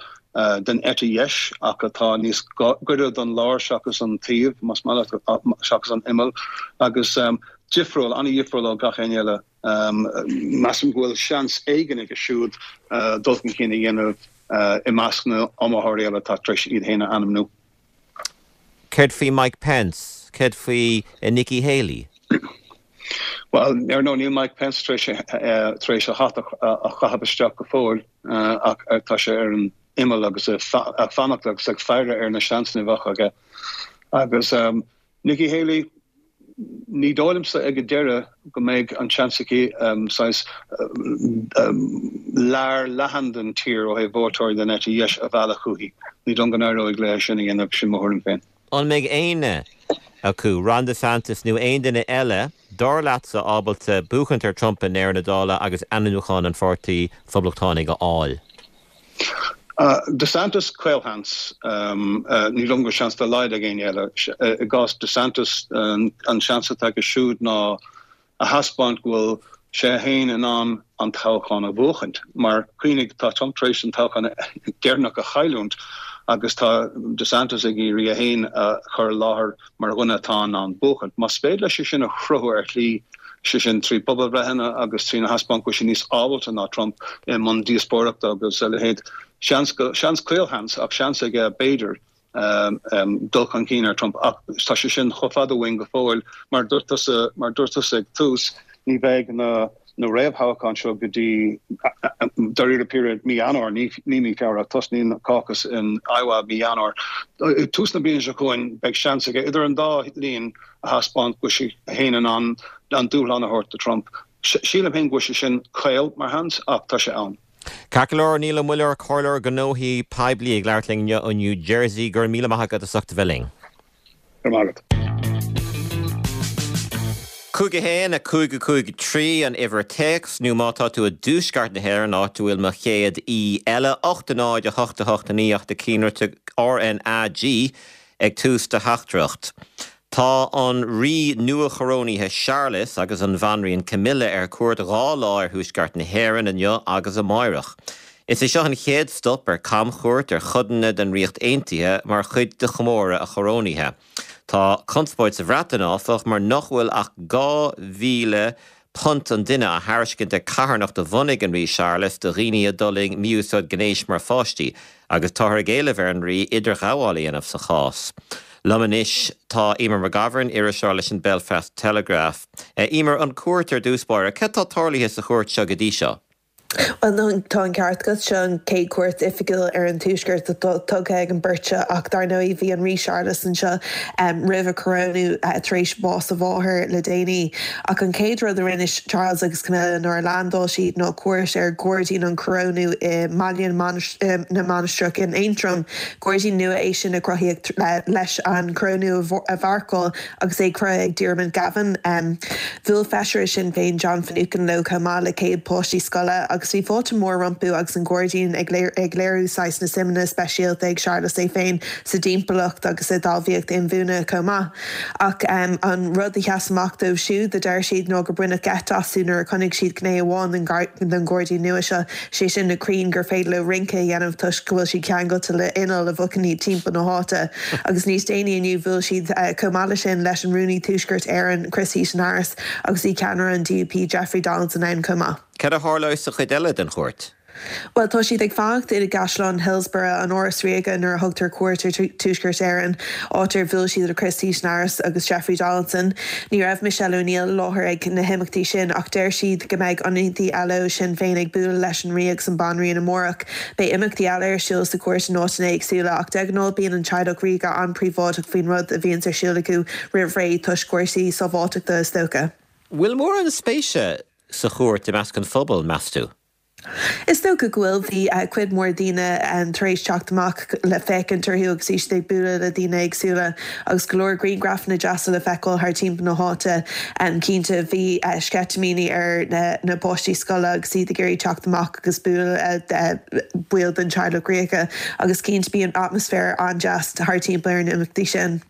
den eite dheis ach atá níos gaire don lár seachas an taobh, más maith leat, seachas an imeall, agus difriúil, an-dhifriúil ó gach éinne eile. Measaim go bhfuil seans éigin aige siúd dul chun cinn a dhéanamh i measc na n-iomaitheoirí eile atá tar éis iad féin a ainmniú. Céard faoi Mike Pence? Céard faoi Nikki Haley? Bhuel, ar ndóigh níl Mike Pence tar éis a hata a chaitheamh isteach go fóill ach tá sé ar an imeall agus ag fanacht agus ag faire ar na seansanna a bheadh aige. Agus Nikki Haley, ní dóigh liomsa ag an deireadh go mbeidh an seans aici saghas lear leathan den tír ó thaobh vótóirí den eite dheis a mhealladh chuici. Ní dóigh liom go n-éireoidh léi sin a dhéanamh, sin mo thuairim féin. An mbeidh éinne acu, Ron DeSantis nó aon duine eile, dar leatsa, ábalta buachaint ar Trump i ndeireadh na dála agus ainmniúchán an Pháirtí Phoblachtánaigh a fháil? DeSantis, caolsheans. Ní dóigh liom go bhfuil seans dá laghad ag éinne eile. I gcás DeSantis, an seans atá aige siúd ná a thaispeáint go bhfuil sé féin in ann an toghchán a bhuachaint. Mar cuimhnigh, tá Trump tar éis an toghchán deireanach a chailliúint agus tá DeSantis ag iarraidh é féin a chur i láthair mar dhuine atá in ann buachaint. Más féidir leis é sin a chruthú ar shlí, sé sin trí pobalbhreitheanna agus trína thaispeáint go bhfuil sé níos ábalta ná Trump i mbun díospóireachta agus a leithéid, seans, seans caolsheans ach seans aige b'fhéidir dul chun cinn ar Trump ach tá sé sin chomh fada uainn go fóill. Mar dúirt tusa, mar dúirt tusa ag tús, ní bheidh na na réamhthoghcháin seo go dtí dáiríre píre mí Eanáir, ní ní mí Feabhra, tosnaíonn caucus in Iowa mí Eanáir. Tús na bliana seo chugainn beidh seans aige idir an dá linn a thaispeáint go bhfuil sé féin in ann an dúshlán a thabhairt do Trump. Sílim féin go bhfuil sé sin caol mar sheans ach tá sé ann. Ceart go leor Niall Ó Muilleoir comhairleoir gnóthaí poiblí ag labhairt linn ó New Jersey go raibh míle maith agat as ucht a bheith linn. Go Cúig a haon a cúig a cúig trí an uimhir téacs nó má tá tú i dtuaisceart na hÉireann áit a bhfuil mo chéad aoi eile ocht a náid a hocht a hocht a naoi ach do cinnte RnaG ag tús do theachtaireacht. Tá an rí nua-chorónaithe Séarlas agus an bhanríon Camilla ar cuairt dhá lá ar thuaisceart na hÉireann inniu agus amárach. Is é seo an chéad stop ar camchuairt ar chodanna den Ríocht Aontaithe mar chuid de chomóradh a chorónaithe. Tá conspóid sa Bhreatain áfach mar nach bhfuil ach dhá mhíle punt an duine á thairiscint ag carthanacht a bhunaigh an rí Séarlas do dhaoine a d'fhulaing mí-úsáid gnéis mar pháistí, agus táthar ag éileamh ar an rí idirghabháil a dhéanamh sa chás. Liom anois tá Emer McGovern iriseoir leis an Belfast Telegraph. Emer an cuairt ar dtús báire, cad tá tarlaithe sa chuairt seo go dtí seo. Well tá an ceart agat seo an chéad chuairt oifigiúil ar an tuaisceart tugtha ag an mbeirt seo ach dar ndóigh bhí an rí Séarlas anseo um, roimh a chorónú uh, tar éis bás a mháthar le déanaí. Ach an chéad rud a rinne Charles agus Camilla nuair a landáil siad ná cuairt ar ghairdín an chorónú i mBaile na Mainistreach in Aontroim. Gairdín nua é sin a cruthaíodh leis an corónú a mharcáil agus é cruthaithe ag Diarmuid Gavin. Um, Bhuail feisire Sinn Féin John Finucane leo chomh maith le céad páistí scoile agus bhí fáilte mór rompu agus an gairdín ag ag léiriú saghas na suimeanna speisialta ag Séarlas é féin sa timpeallacht agus i dtalmhaíocht inbhuanaithe chomh maith. Ach um, an rud a sheas amach dóibh siúd a deir siad ná gur baineadh geit astu nuair a chonaic siad gné amháin den ghairdín nua seo sé sin na crainn gur féidir leo rince a dhéanamh toisc go bhfuil siad ceangailte le inneall a bhogann iad timpeall na háite. agus níos déanaí inniu bhuail siad uh, chomh maith sin leis an rúnaí Tuaisceart Éireann Chris Heaton-Harris agus bhí ceannaire an DUP Jeffrey Donaldson ann chomh maith. Cad a tharlóidh sa chuid eile den chuairt? Well tá siad ag fanacht i gCaisleán Hillsborough an Áras Ríoga nuair a thugtar cuairt ar Tuaisceart Éireann áit ar bhuail siad le Chris Heaton-Harris agus Jeffrey Donaldson. Ní raibh Michelle O'Neill i láthair ag na himeachtaí sin ach deir siad go mbeidh ionadaithe eile ó Sinn Féin ag bualadh leis an rí agus an bhanríon amárach. Beidh imeachtaí eile ar siúl sa chuairt in áiteanna éagsúla ach de ghnáth bíonn an teaghlach ríoga an-phríobháideach faoin rud a bhíonn ar siúl acu roimh ré toisc cúrsaí sábháilteachta is dócha. Bhfuil mórán spéise sa chuairt i measc an phobail meas tú? Is dócha go bhfuil bhí uh, cuid mhór daoine um, tar éis teacht amach le féachaint orthu agus iad ag bualadh le daoine éagsúla agus go leor grianghrafanna deasa le feiceáil thar timpeall na háite um, cinnte bhí uh, sceitimíní ar na, na páistí scoile agus iad ag iarraidh teacht amach agus bualadh uh, baill den teaghlach ríoga agus cinnte bíonn atmaisféar an-deas thar timpeall ar na himeachtaí sin.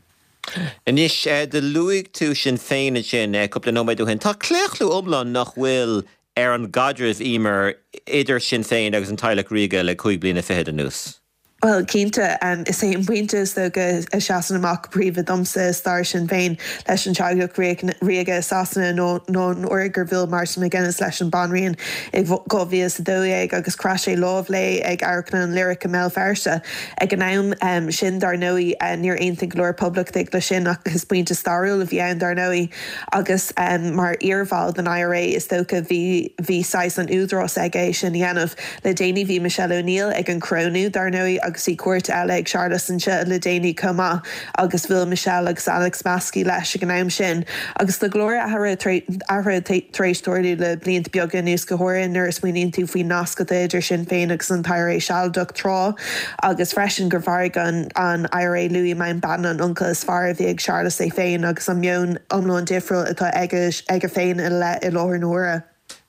Anois do luaigh tú Sinn Féin sin cúpla nóiméad ó shin. Tá claochlú iomlán nach bhfuil ar an gcaidreamh Emer idir Sinn Féin agus an teaghlach ríoga le cúig bliana fichead anuas. Well cinnte um, is é an pointe is dócha a sheasann amach príomha domsa stair Sinn Féin leis an teaghlach ríoga Sasana nó nó an uair gur bhuail Martin McGuinness leis an banríon i dhá mhíle is a dó dhéag agus chroith sé lámh léi ag Amharclann an Lyric i mBéal Feirste. Ag an am um, sin dar ndóigh uh, níor aontaigh go leor poblachtaigh le sin ach is pointe stairiúil a bhí ann dar ndóigh agus um, mar iarbhall den IRA is dócha bhí bhí saghas an údarás aige sin a dhéanamh le déanaí bhí Michelle O'Neill ag an corónú dar ndóigh agus bhí cuairt eile ag Séarlas anseo le déanaí chomh maith agus bhuail Michelle agus Alex Maskey leis ag an am sin. agus tá go leor athruithe tar éis tarlú le blianta beaga anuas go háirithe nuair a smaoiníonn tú faoin nasc atá idir Sinn Féin agus an IRA Sealadach tráth agus freisin gur mharaigh an an IRA Louis Mountbatten an uncail is fearr a bhí ag Séarlas é féin agus an meon iomlán difriúil atá aige aige féin i le i láthair na huaire.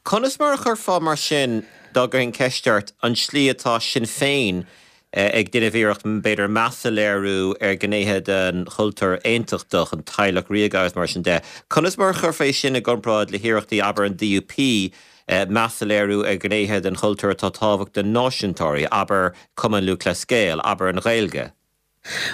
Conas mar a chuirfeá mar sin dá gcuirfinn ceist ort an slí atá Sinn Féin ag déanamh iarracht b'fhéidir meas a léiriú ar ghnéithe den chultúr aontachtach an teaghlach ríoga agus mar sin de. Conas mar a chuirfeá sin i gcomparáid le hiarrachtaí abair an DUP meas a léiriú ar ghnéithe den chultúr atá tábhachtach do náisiúntóirí, abair Cumann Lúthchleas Gael, abair an Ghaeilge.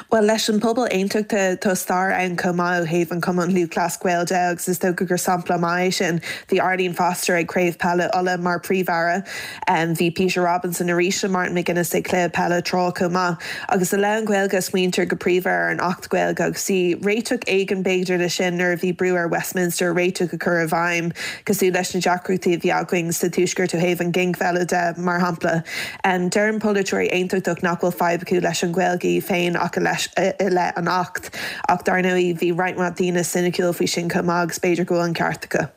Well leis an pobal aontachtach tá stair ann chomh maith ó thaobh an Cumann Lúthchleas Gael de agus is dócha gur sampla maith sin bhí Arlene Foster ag Craobh Peile Uladh mar phríomh-aire um, bhí Peter Robinson arís le Martin McGuinness ag cluiche peile tráth chomh maith agus i leith an Ghaeilge smaointear go príomha ar an Acht Gaeilge agus bhí réiteach éigin b'fhéidir le sin nuair a bhí brú ar Westminster réiteach a chur i bhfeidhm cosúil leis na deacrachtaí a bhí againn sa tuaisceart ó thaobh an ghinmhilleadh de mar shampla. Um, Deireann polaiteoirí aontachtach nach bhfuil fadhb acu leis an Ghaeilge féin ach leis i leith an Acht ach dar ndóigh bhí roinnt mhaith daoine soiniciúil faoi sin chomh maith agus b'fhéidir go bhfuil an ceart acu.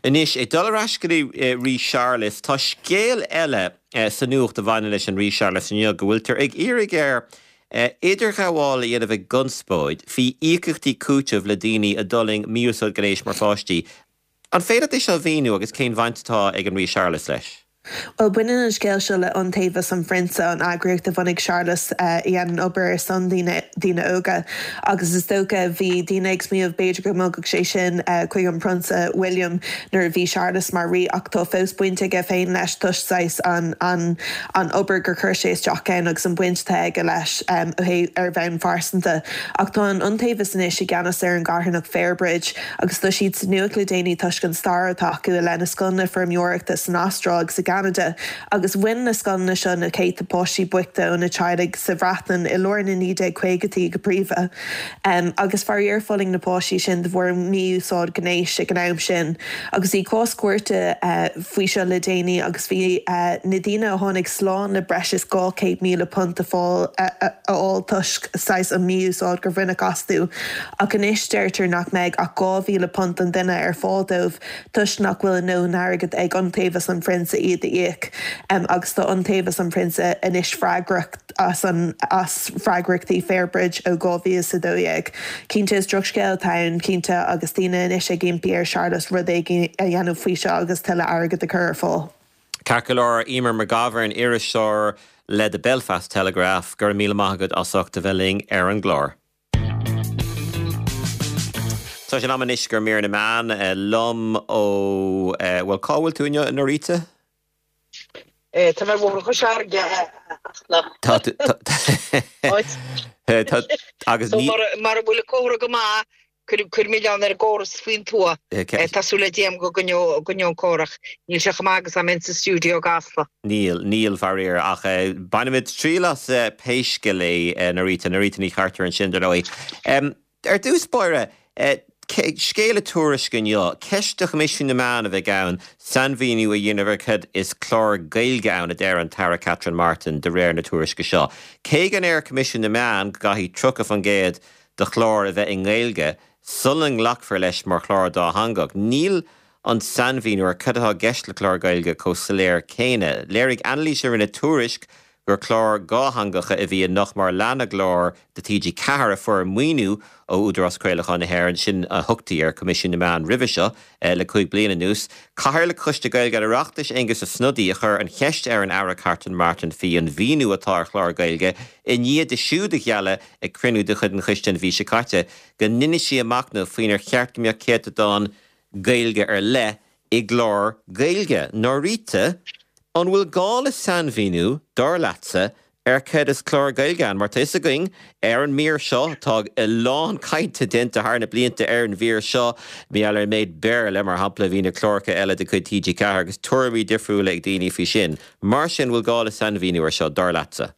Anois, ag dul ar ais go dtí Rí Séarlas, tá scéal eile sa nuacht a bhaineann leis an Rí Séarlas inniu, go bhfuiltear ag iarraidh air idirghabháil a dhéanamh i gconspóid faoi íocaíochtaí cúitimh le daoine a d'fhulaing mí-úsáid gnéis mar pháistí. An féidir é seo a mhíniú agus cén bhaint atá ag an Rí Séarlas leis? Bhuel, baineann an scéal seo le Iontaobhas an Phrionsa, an eagraíocht a bhunaigh Séarlas a dhéanann obair ar son daoine daoine óga. Agus is dócha bhí daoine ag smaoineamh b'fhéidir go mbogfadh sé sin chuig an Prionsa William nuair a bhí Séarlas mar rí ach tá fós baint aige féin leis toisc saghas an an an obair gur chuir sé isteach ann agus an baint atá aige leis ar bhonn phearsanta. Ach tá an Iontaobhas anois i gceannas ar an gcarthanacht Fairbridge agus tá siad sa nuacht le déanaí toisc an stair atá acu i leith na scoileanna feirmeoireachta san Astráil agus i gCeanada agus bhain na scoileanna seo na céadta páistí bochta ó na teaghlaigh sa Bhreatain i lár na naoi déag caogaidí go príomha. Um, agus faraor fulaing na páistí sin de bharr mí-úsáid gnéis ag an am sin. Agus bhí cás cúirte uh, faoi seo le déanaí agus bhí uh, na daoine a tháinig slán le breis is dhá chéad míle punt a fáil a fháil toisc saghas an mí-úsáid gur bhaineadh astu. Ach anois deirtear nach mbeidh ach dhá mhíle punt an duine ar fáil dóibh toisc nach bhfuil a ndóthain airgid ag Iontaobhas an Phrionsa iad a íoc um, agus tá Iontaobhas an Phrionsa anois freagrach as an as freagrachtaí Fairbridge ó dhá mhíle is a dó dhéag. Cinnte is drochscéal atá ann cinnte agus daoine anois ag impí ar Charles rud éigin a dhéanamh faoi seo agus tuilleadh airgid a chur ar fáil. Ceart go leor Eimear McGovern iriseoir le The Belfast Telegraph go raibh míle maith agat as ucht a bheith linn ar an gclár. Tá sé in am anois do mhír na meán liom ó bhfuil cá bhfuil tú inniu Norita? Tá mé bhóthar Chois Fharraige Tá agus mar bhfuil córa go maith cuir milleán ar an gcóras faoin tuath Tá súil agam go gcoinneoidh an córas ach níl sé chomh maith agus am sa stiúideo i gCasla. Níl níl faraor ach bainfimid triail as pé scéal é Norita Norita Ní Chartúir ansin dar ndóigh. Ar dtús báire scéal i Tuairisc inniu, ceist do Choimisiún na Meán a bheidh ann sainmhíniú a dhéanamh ar cad is clár Gaeilge ann a deir an tAire Catherine Martin de réir na tuairisce seo. Cé go ndeir Coimisiún na Meán go gcaithfidh tríocha faoin gcéad de chlár a bheith i nGaeilge sula nglacfar leis mar chlár dátheangach. Níl an sainmhíniú ar cad atá i gceist le clár Gaeilge chomh soiléir céanna. Léirigh anailís a rinne Tuairisc gur clár dátheangacha a bhí i nach mar lean na gclár de TG Ceathair a fuair maoiniú ó Údarás Craolacháin na hÉireann sin a thugtaí ar Coimisiún na Meán roimhe seo le cúig bliana anuas. Cathaoirleach Choiste Gaeilge an Oireachtais Aengus Ó Snodaigh a chuir an cheist ar an Aire Catherine Martin faoi an mhíniú atá ar chlár Gaeilge i ndiaidh di siúd a ghealladh ag cruinniú de chuid an choiste an mhí seo caite go ndéanfaidh sí a machnamh faoinar cheart go mbeadh céatadán Gaeilge ar leith i gclár Gaeilge. Norita, an bhfuil gá le sainmhíniú dar leatsa ar cad is clár Gaeilge ann, mar tá fhios againn ar an mír seo tá a lán cainte déanta thar na blianta ar an mhír seo mí ar méid Béarla mar shampla bhí na cláracha eile de chuid TG Ceathair agus tuairimí difriúla ag daoine faoi sin. Mar sin bhfuil gá le sainmhíniú ar seo dar leatsa.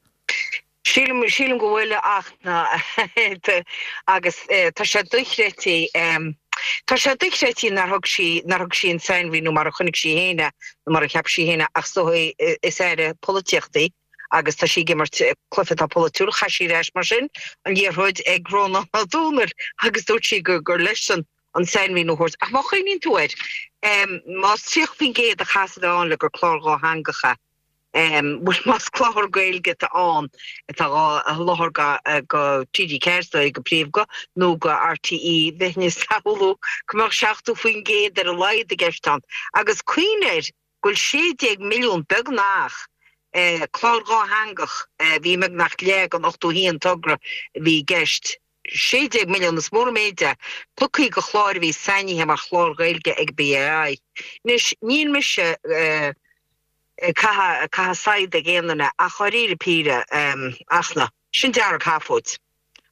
Sílim sílim go bhfuil ach na agus tá sé dochreidte Tá sé dochreidte nár thug sí nár thug sí an sainmhíniú mar a chonaic sí féin é nó mar a cheap sí féin é ach so is aire polaitíochta í agus tá sí ag imirt cluiche atá polaitiúil chaith sí ar ais mar sin an liathróid ag Rónán Ó Domhnaill agus dúirt sí gur gur leisean an sainmhíniú a thabhairt. Ach má chuimhníonn tú air, más tríocha faoin gcéad a chaithfeas a bheith ann le gur clár dhátheangach é, Bhuel más clár Gaeilge atá ann atá á sholáthar go TG Ceathair go príomha nó go RTÉ bheinn ag samhlú go mbeadh seachtó faoin gcéad ar a laghad i gceist ann. Agus cuimhnigh air go bhfuil sé déag milliún, beagnach, clár dhátheangach, bhí beagnach leath den ochtó haon togra a bhí i gceist, sé déag milliún, is mór an méid é, tugtha do chláir a bhí sainithe mar chláir Ghaeilge ag BAI. Anois níl mise. ag caitheamh saighead ag aon duine ach dháiríre píre ach na, sin dearg-sheafóid.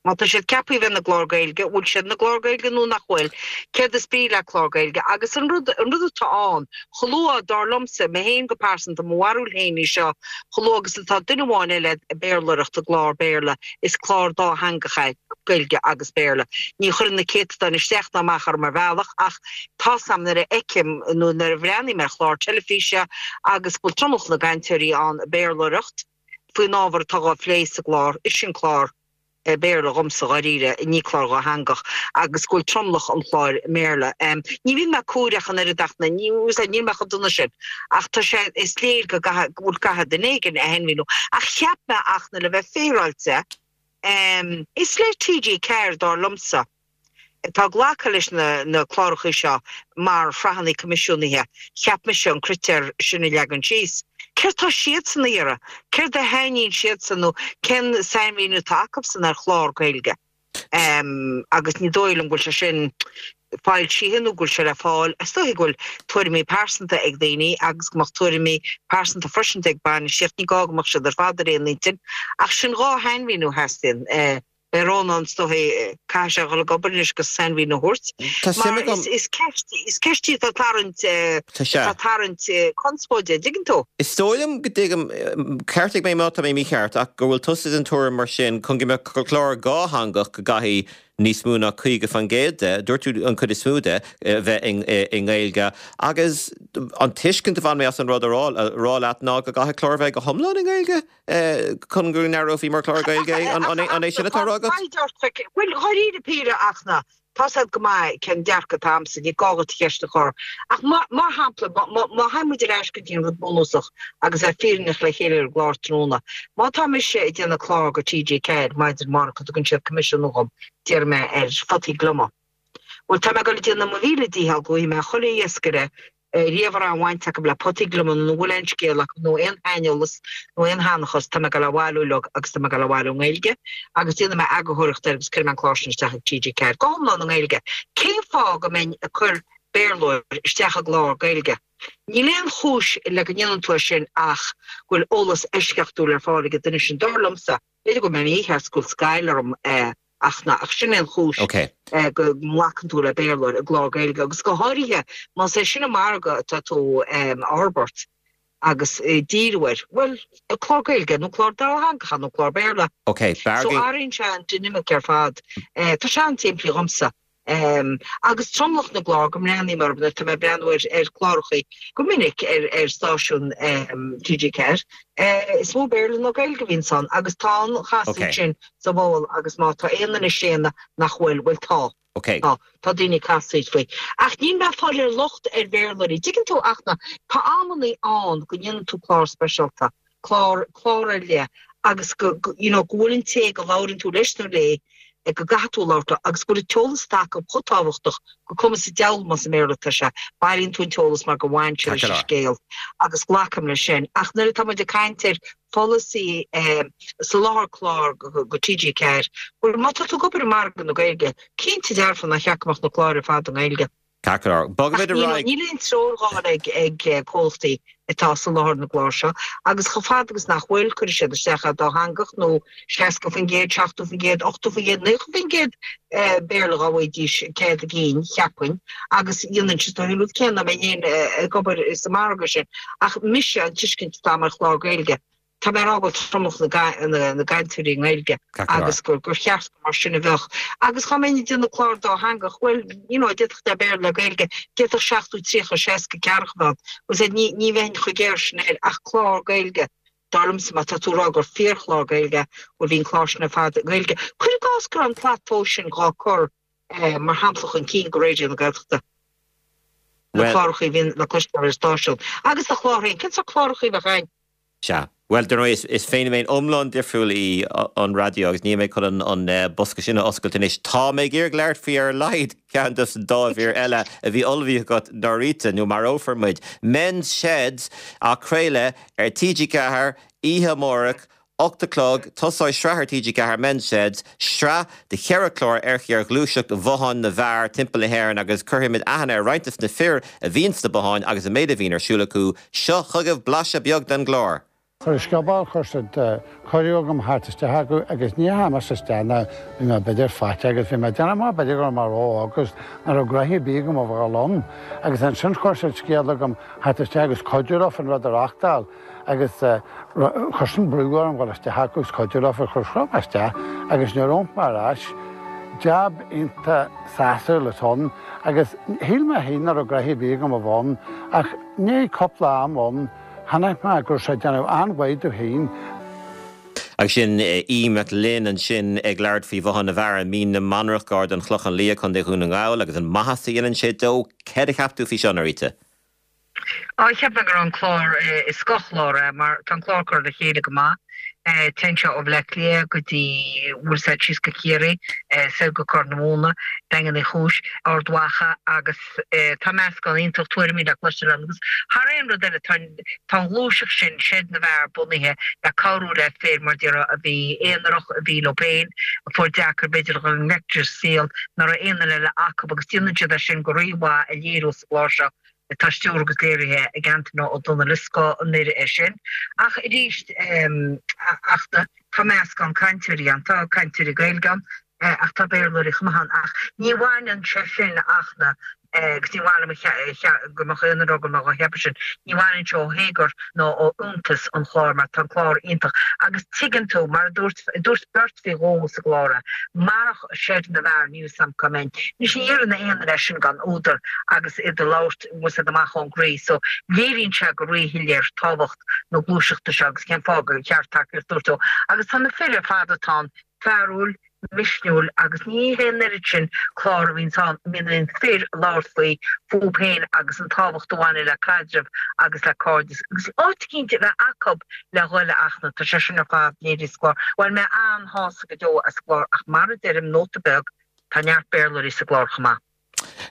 Má tá siad ceaptha a bheith ina gclár Gaeilge, bhfuil siad ina gclár Gaeilge nó nach bhfuil? Céard is brí le clár Gaeilge? Agus an rud, an rud atá ann, chomh luath, dar liomsa, mé féin go pearsanta, mo bharúil féin í seo, chomh luath agus atá duine amháin eile ag Béarlóireacht i gclár Béarla, is clár dátheangach é, Gaeilge agus Béarla. Ní chuireann na céatadáin isteach ná amach orm ar bhealach ach, Tá's a'm nuair a fheicim nó nuair a bhreathnaím ar chlár teilifíse agus go bhfuil tromlach na gcainteoirí ann ag Béarlóireacht faoin ábhar atá á phlé sa gclár, is sin clár Béarla dhomsa dháiríre, ní clár dhátheangach agus go bhfuil tromlach an chláir i mBéarla. Ní bhíonn mé cóireach an oiread ach na, níl mé chomh dona sin ach tá sé, is léir go gcaithfidh, go bhfuil, caithfidh duine éigin a shainmhíniú. Ach cheap mé ach na le bheith féaráilte, is le TG Ceathair dar liomsa. Atá glactha leis na cláracha seo mar shraitheanna coimisiúnaithe, cheap mise an critéar sin a leagan síos. Céard tá siadsan a iarraidh? Céard a shainíonn siadsan nó cén sainmhíniú atá acusan ar chlár Gaeilge? Agus ní dóigh liom go bhfuil sé sin foilsithe nó go bhfuil sé le fáil. Is dóiche go bhfuil tuairimí pearsanta ag daoine agus go mbeadh tuairimí pearsanta freisin ag bainistíocht, ní gá go mbeadh siad ar fad ar aon intinn. Ach sin dhá shainmhíniú a theastaíonn. Beidh Rónán, is dóiche, caithfidh sé a dhul ag obair anois agus sainmhíniú a thabhairt. Tá suim Mar agam. is, is ceist, is ceist í atá ag tarraingt, Tá sé. atá ag tarraingt conspóide, an dtuigeann tú? Is dóigh liom go dtuigim, ceartaigh mé má tá mé mícheart, ach go bhfuil tusa den tuairim mar sin, chun go mbeadh clár dhátheangach go gcaithfidh níos mó ná caoga faoin gcéad de, dúirt tú an chuid is mó de, a bheith i nGaeilge. Agus an tuiscint a bhain mé as an rud a rá, a rá leat ná go gcaithfidh clár a bheith go hiomlán i nGaeilge? Chun go n-aireofaí mar chlár Gaeilge é, an é sin atá á rá agat? Bhuel, dháiríre píre ach na, tá's agat go maith cén dearcadh atá a'msa, ní gá dhuit ceist a chur. Ach mar shampla, má théann muid ar ais go dtí an rud bunúsach agus bheith fírinneach le chéile ar an gclár tráthnóna, má tá mise ag déanamh clár go TG Ceathair maidin amárach go dtugann siad coimisiún dhom, déarfaidh mé ar photaí gliomaigh. Bhuel, tá mé ag dul ag déanamh mo mhíle dícheall go bhfaighidh mé chuile iascaire riamh a raibh aon bhaint acu le potaí gliomaigh nó a bhfuil aon scéal acu nó aon shaineolas nó aon sheanchas, tá mé ag dul á bhailiú uilig agus tá mé ag dul á bhailiú i nGaeilge agus déanfaidh mé eagarthóireacht air agus cuirfidh mé an clár sin isteach ag TG Ceathair go hiomlán i nGaeilge. Cén fáth go mbeinn ag cur Béarlóir isteach i gclár Gaeilge? Níl aon chúis le go ndéanann tú é sin ach go bhfuil eolas eisceachtúil ar fáil ag an duine sin, dar liomsa. B'fhéidir go bhfuil mé mícheart go bhfuil scaill orm ach ná ach sin é an chúis go nglacann tú le Béarlóir i gclár Gaeilge agus go háirithe más é sin an margadh atá tú a fhorbairt agus díriú air, bhuel, clár Gaeilge nó clár dátheangach nó clár Béarla. So athraíonn sé an dinimic ar fad. Tá sé an-simplí dhomsa. Agus tromlach na gclár go mbreathnaím orthu nuair atá mé ag breathnú ar chláracha go minic ar stáisiún TG Ceathair, is mó Béarla ná Gaeilge a bhíonns ann agus tá an chasaoid sin sa bhfeoil agus má tá aon duine ag séanadh nach bhfuil, bhuel tá. Tá. Tá daoine ag casaoid faoi. Ach níl mé ag fáil ar locht ar Bhéarlóirí. Dtuigeann tú ach na, tá amannaí ann go ndéanann tú clár speisialta, clár, clár ar leith agus go, you know, go bhfuil an té go labhrann tú leis nó léi, go gcaithfidh tú labhairt leo agus go bhfuil an t-eolas atá acu chomh tábhachtach gur cuma sa diabhal más i mBéarla atá sé, bailíonn tú an t-eolas mar go bhfaigheann sé leis an scéal agus glacaim leis sin. Ach nuair atá muid ag caint ar pholasaí soláthar clár go TG Ceathair, bhuel má tá tú ag obair i margadh na Gaeilge, cinnte dearfa nár cheart go mbeadh na cláir ar fad i nGaeilge. Ceart go leor. Bogfaimid ar aghaidh. Níl aon treoir dhá ag comhlachtaí atá ag soláthar na gclár seo agus chomh fada agus nach bhfuil, cuirfidh siad isteach é dátheangach nó seasca faoin gcéad, seachtó faoin gcéad, ochtó faoin gcéad, naocha faoin gcéad Béarla dhá bhfaighidís cead a gcinn, cheapfainn, agus dhéanfainnse an rud céanna dá mbeinn féin ag obair sa margadh sin. Ach mise, an tuiscint atá agam ar chlár Gaeilge, Tá mé ag rá go bhfuil tromlach na gcainteoirí i nGaeilge agus gur cheart gur mar sin a bheadh. Agus dhá mbeinn ag déanamh clár dátheangach, bhuel, you know, d'fhéadfadh sé Béarla le Gaeilge, d'fhéadfadh seachtó, tríocha, seasca, ceathracha a bheith ann. Bhuel, ní, ní bheinn chomh géar sin air ach clár Gaeilge, dar liomsa, má tá tú ag rá gur fíorchlár Gaeilge é, bhuel, bhí an clár sin ar fad i nGaeilge. Cuir i gcás go raibh an tslat tomhais sin dhá cur, mar shampla, chun cinn go Raidió na Gaeltachta. Na cláracha a bhíonn le cloisteáil ar an stáisiún. Agus do chlár féin, cén sórt cláracha a bheadh ann? Sea. Bhuel, dar ndóigh, is feiniméan iomlán difriúil í an raidió agus níl mé chun an bosca sin a oscailt anois. Tá mé ag iarraidh labhairt faoi ar a laghad ceann dos an dá mhír eile a bhí ullmhaithe agat, Norita, nó marófar muid. Men's Sheds á craoladh ar TG Ceathair oíche amárach Ocht a chlog, tosóidh sraith ar TG Ceathair Men's Sheds, sraith de cheithre chlár ar ar ghluaiseacht bhotháin na bhfear timpeall na hÉireann agus cuirfimid aithne ar roinnt de na fir a bhíonn sna botháin agus an méid a bhíonn ar siúl acu. Seo chugaibh blaiseadh beag den gclár. Sa scioból chuir siad cuireadh agam theacht isteach acu agus ní dheachaigh mise isteach ná bhí mé b'fhéidir faighte agus bhí mé ag déanamh mar b'fhéidir go raibh mé ró-óg agus nach raibh gnoithe ar bith agam a bheadh ann agus ansin chuir siad scéal agam theacht isteach agus cuidiú leofa an rud a reachtáil agus chuir sin brú orm dhul isteach acu agus cuidiú leofa chuir chuir mé isteach agus nuair a d'iompaigh mé ar ais jab iontach sásúil atá ann agus shíl mé féin nach raibh gnoithe ar bith agam a bheith ann ach i ndiaidh cúpla am ann Chonaic mé go raibh sé ag déanamh an-mhaith domh féin. Agus sin Aodh Mac Fhloinn ansin ag labhairt faoi Bhothán na bhFear i Mín na Manach gar don Chlochán Liath, Contae Dhún na nGall agus an maitheas a dhéanann sé dó. Céard a cheap tú faoi seo, Norita? Á, cheap mé go raibh an clár, is scothchlár é mar tá an clár curtha le chéile go maith. Téann sé ó Bhleá Cliath go dtí bhfuil sé síos go Ciarraí, soir go Corr na Móna, Daingean Uí Chúis, Ard Mhacha agus tá meascán iontach tuairimí le cloisteáil ann agus thar aon rud eile tá tá an ghluaiseacht sin, Seid na bhFear, bunaithe le cabhrú le fir mar déarfá a bhí aonarach, a bhí leo féin, a fuair deacair b'fhéidir a dhul i ngleic leis an saol, nach raibh aon duine eile acu agus déanann siad é sin go rímhaith a léiriú sa gclár seo. atá stiúrtha agus léirithe ag Antaine Ó Dónaill. Is scoth an oidhre é sin. Ach arís, ach tá meascán cainteoirí ann. Tá cainteoirí Gaeilge ann ach tá Béarlóirí chomh maith ann. Ach ní bhaineann sé sin ach na, agus ní mhaith liom go mbeadh aon rud agam á cheapadh sin, ní bhaineann sé ó théagar nó ó fhiúntas an chláir mar tá an clár iontach. Agus tuigeann tú, mar a dúirt, dúirt beirt faoi dhó sa gclár é, marach Seid na bhFear, níl 'fhios a'm cá mbeinn. Anois ní deireann aon duine é sin gan údar agus iad ag labhairt bhfuil 'fhios a'd amach ón gcroí so léiríonn sé go ríshoiléir tábhacht na gluaiseachta seo agus cén fáth gur cheart tacaíocht a thabhairt dó. Agus tá na fir ar fad atá ann fearúil, misniúil agus ní hé an oiread sin clár a bhíonns ann a mbíonn fir ag labhairt faoi fúthu féin agus an tábhacht a bhaineann le caidreamh agus le cairdeas agus áit eicínt a bheith acu le dhul a Fhachtna. Tá sé sin ar fad léirithe sa gclár. Bhain mé an-shásamh go deo as an gclár ach mar a deirim, nóta beag, tá neart Béarlóirí sa gclár chomh maith.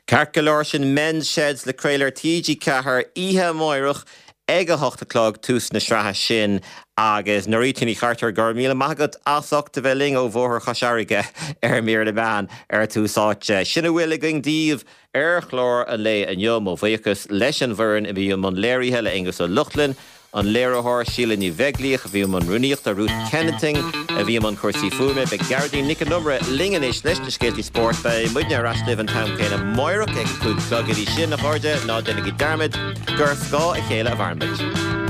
Ceart go leor, sin Men's Sheds le craoladh ar T G ceathair oíche amáireach ag a hocht a chlog, tús na sraithe sin agus Norita Ní Chartúir, go raibh míle maith agat as ucht a bheith linn ó Bhóthar Chois Fharraige ar Mír na Meán ar Tús Áite. Sin a bhfuil againn daoibh ar chlár an lae inniu. Mo bhuíochas leis an bhfoireann a bhí i mbun léirithe, le Aonghus Ó Lochlainn, an léiritheoir, Síle Ní Bheaglaoich a bhí i mbun rúnaíochta, Ruth Kennington a bhí i mbun cúrsaí fuaime. Beidh Gearóidín Nic an Iomaire linn anois leis na scéaltaí spóirt. Beidh muidne ar ais libh an t-am céanna amáireach ag a cúig a chlog. Go dtí sin, a chairde, ná déanaigí dearmad gur ar scáth a chéile a mhaireann muid.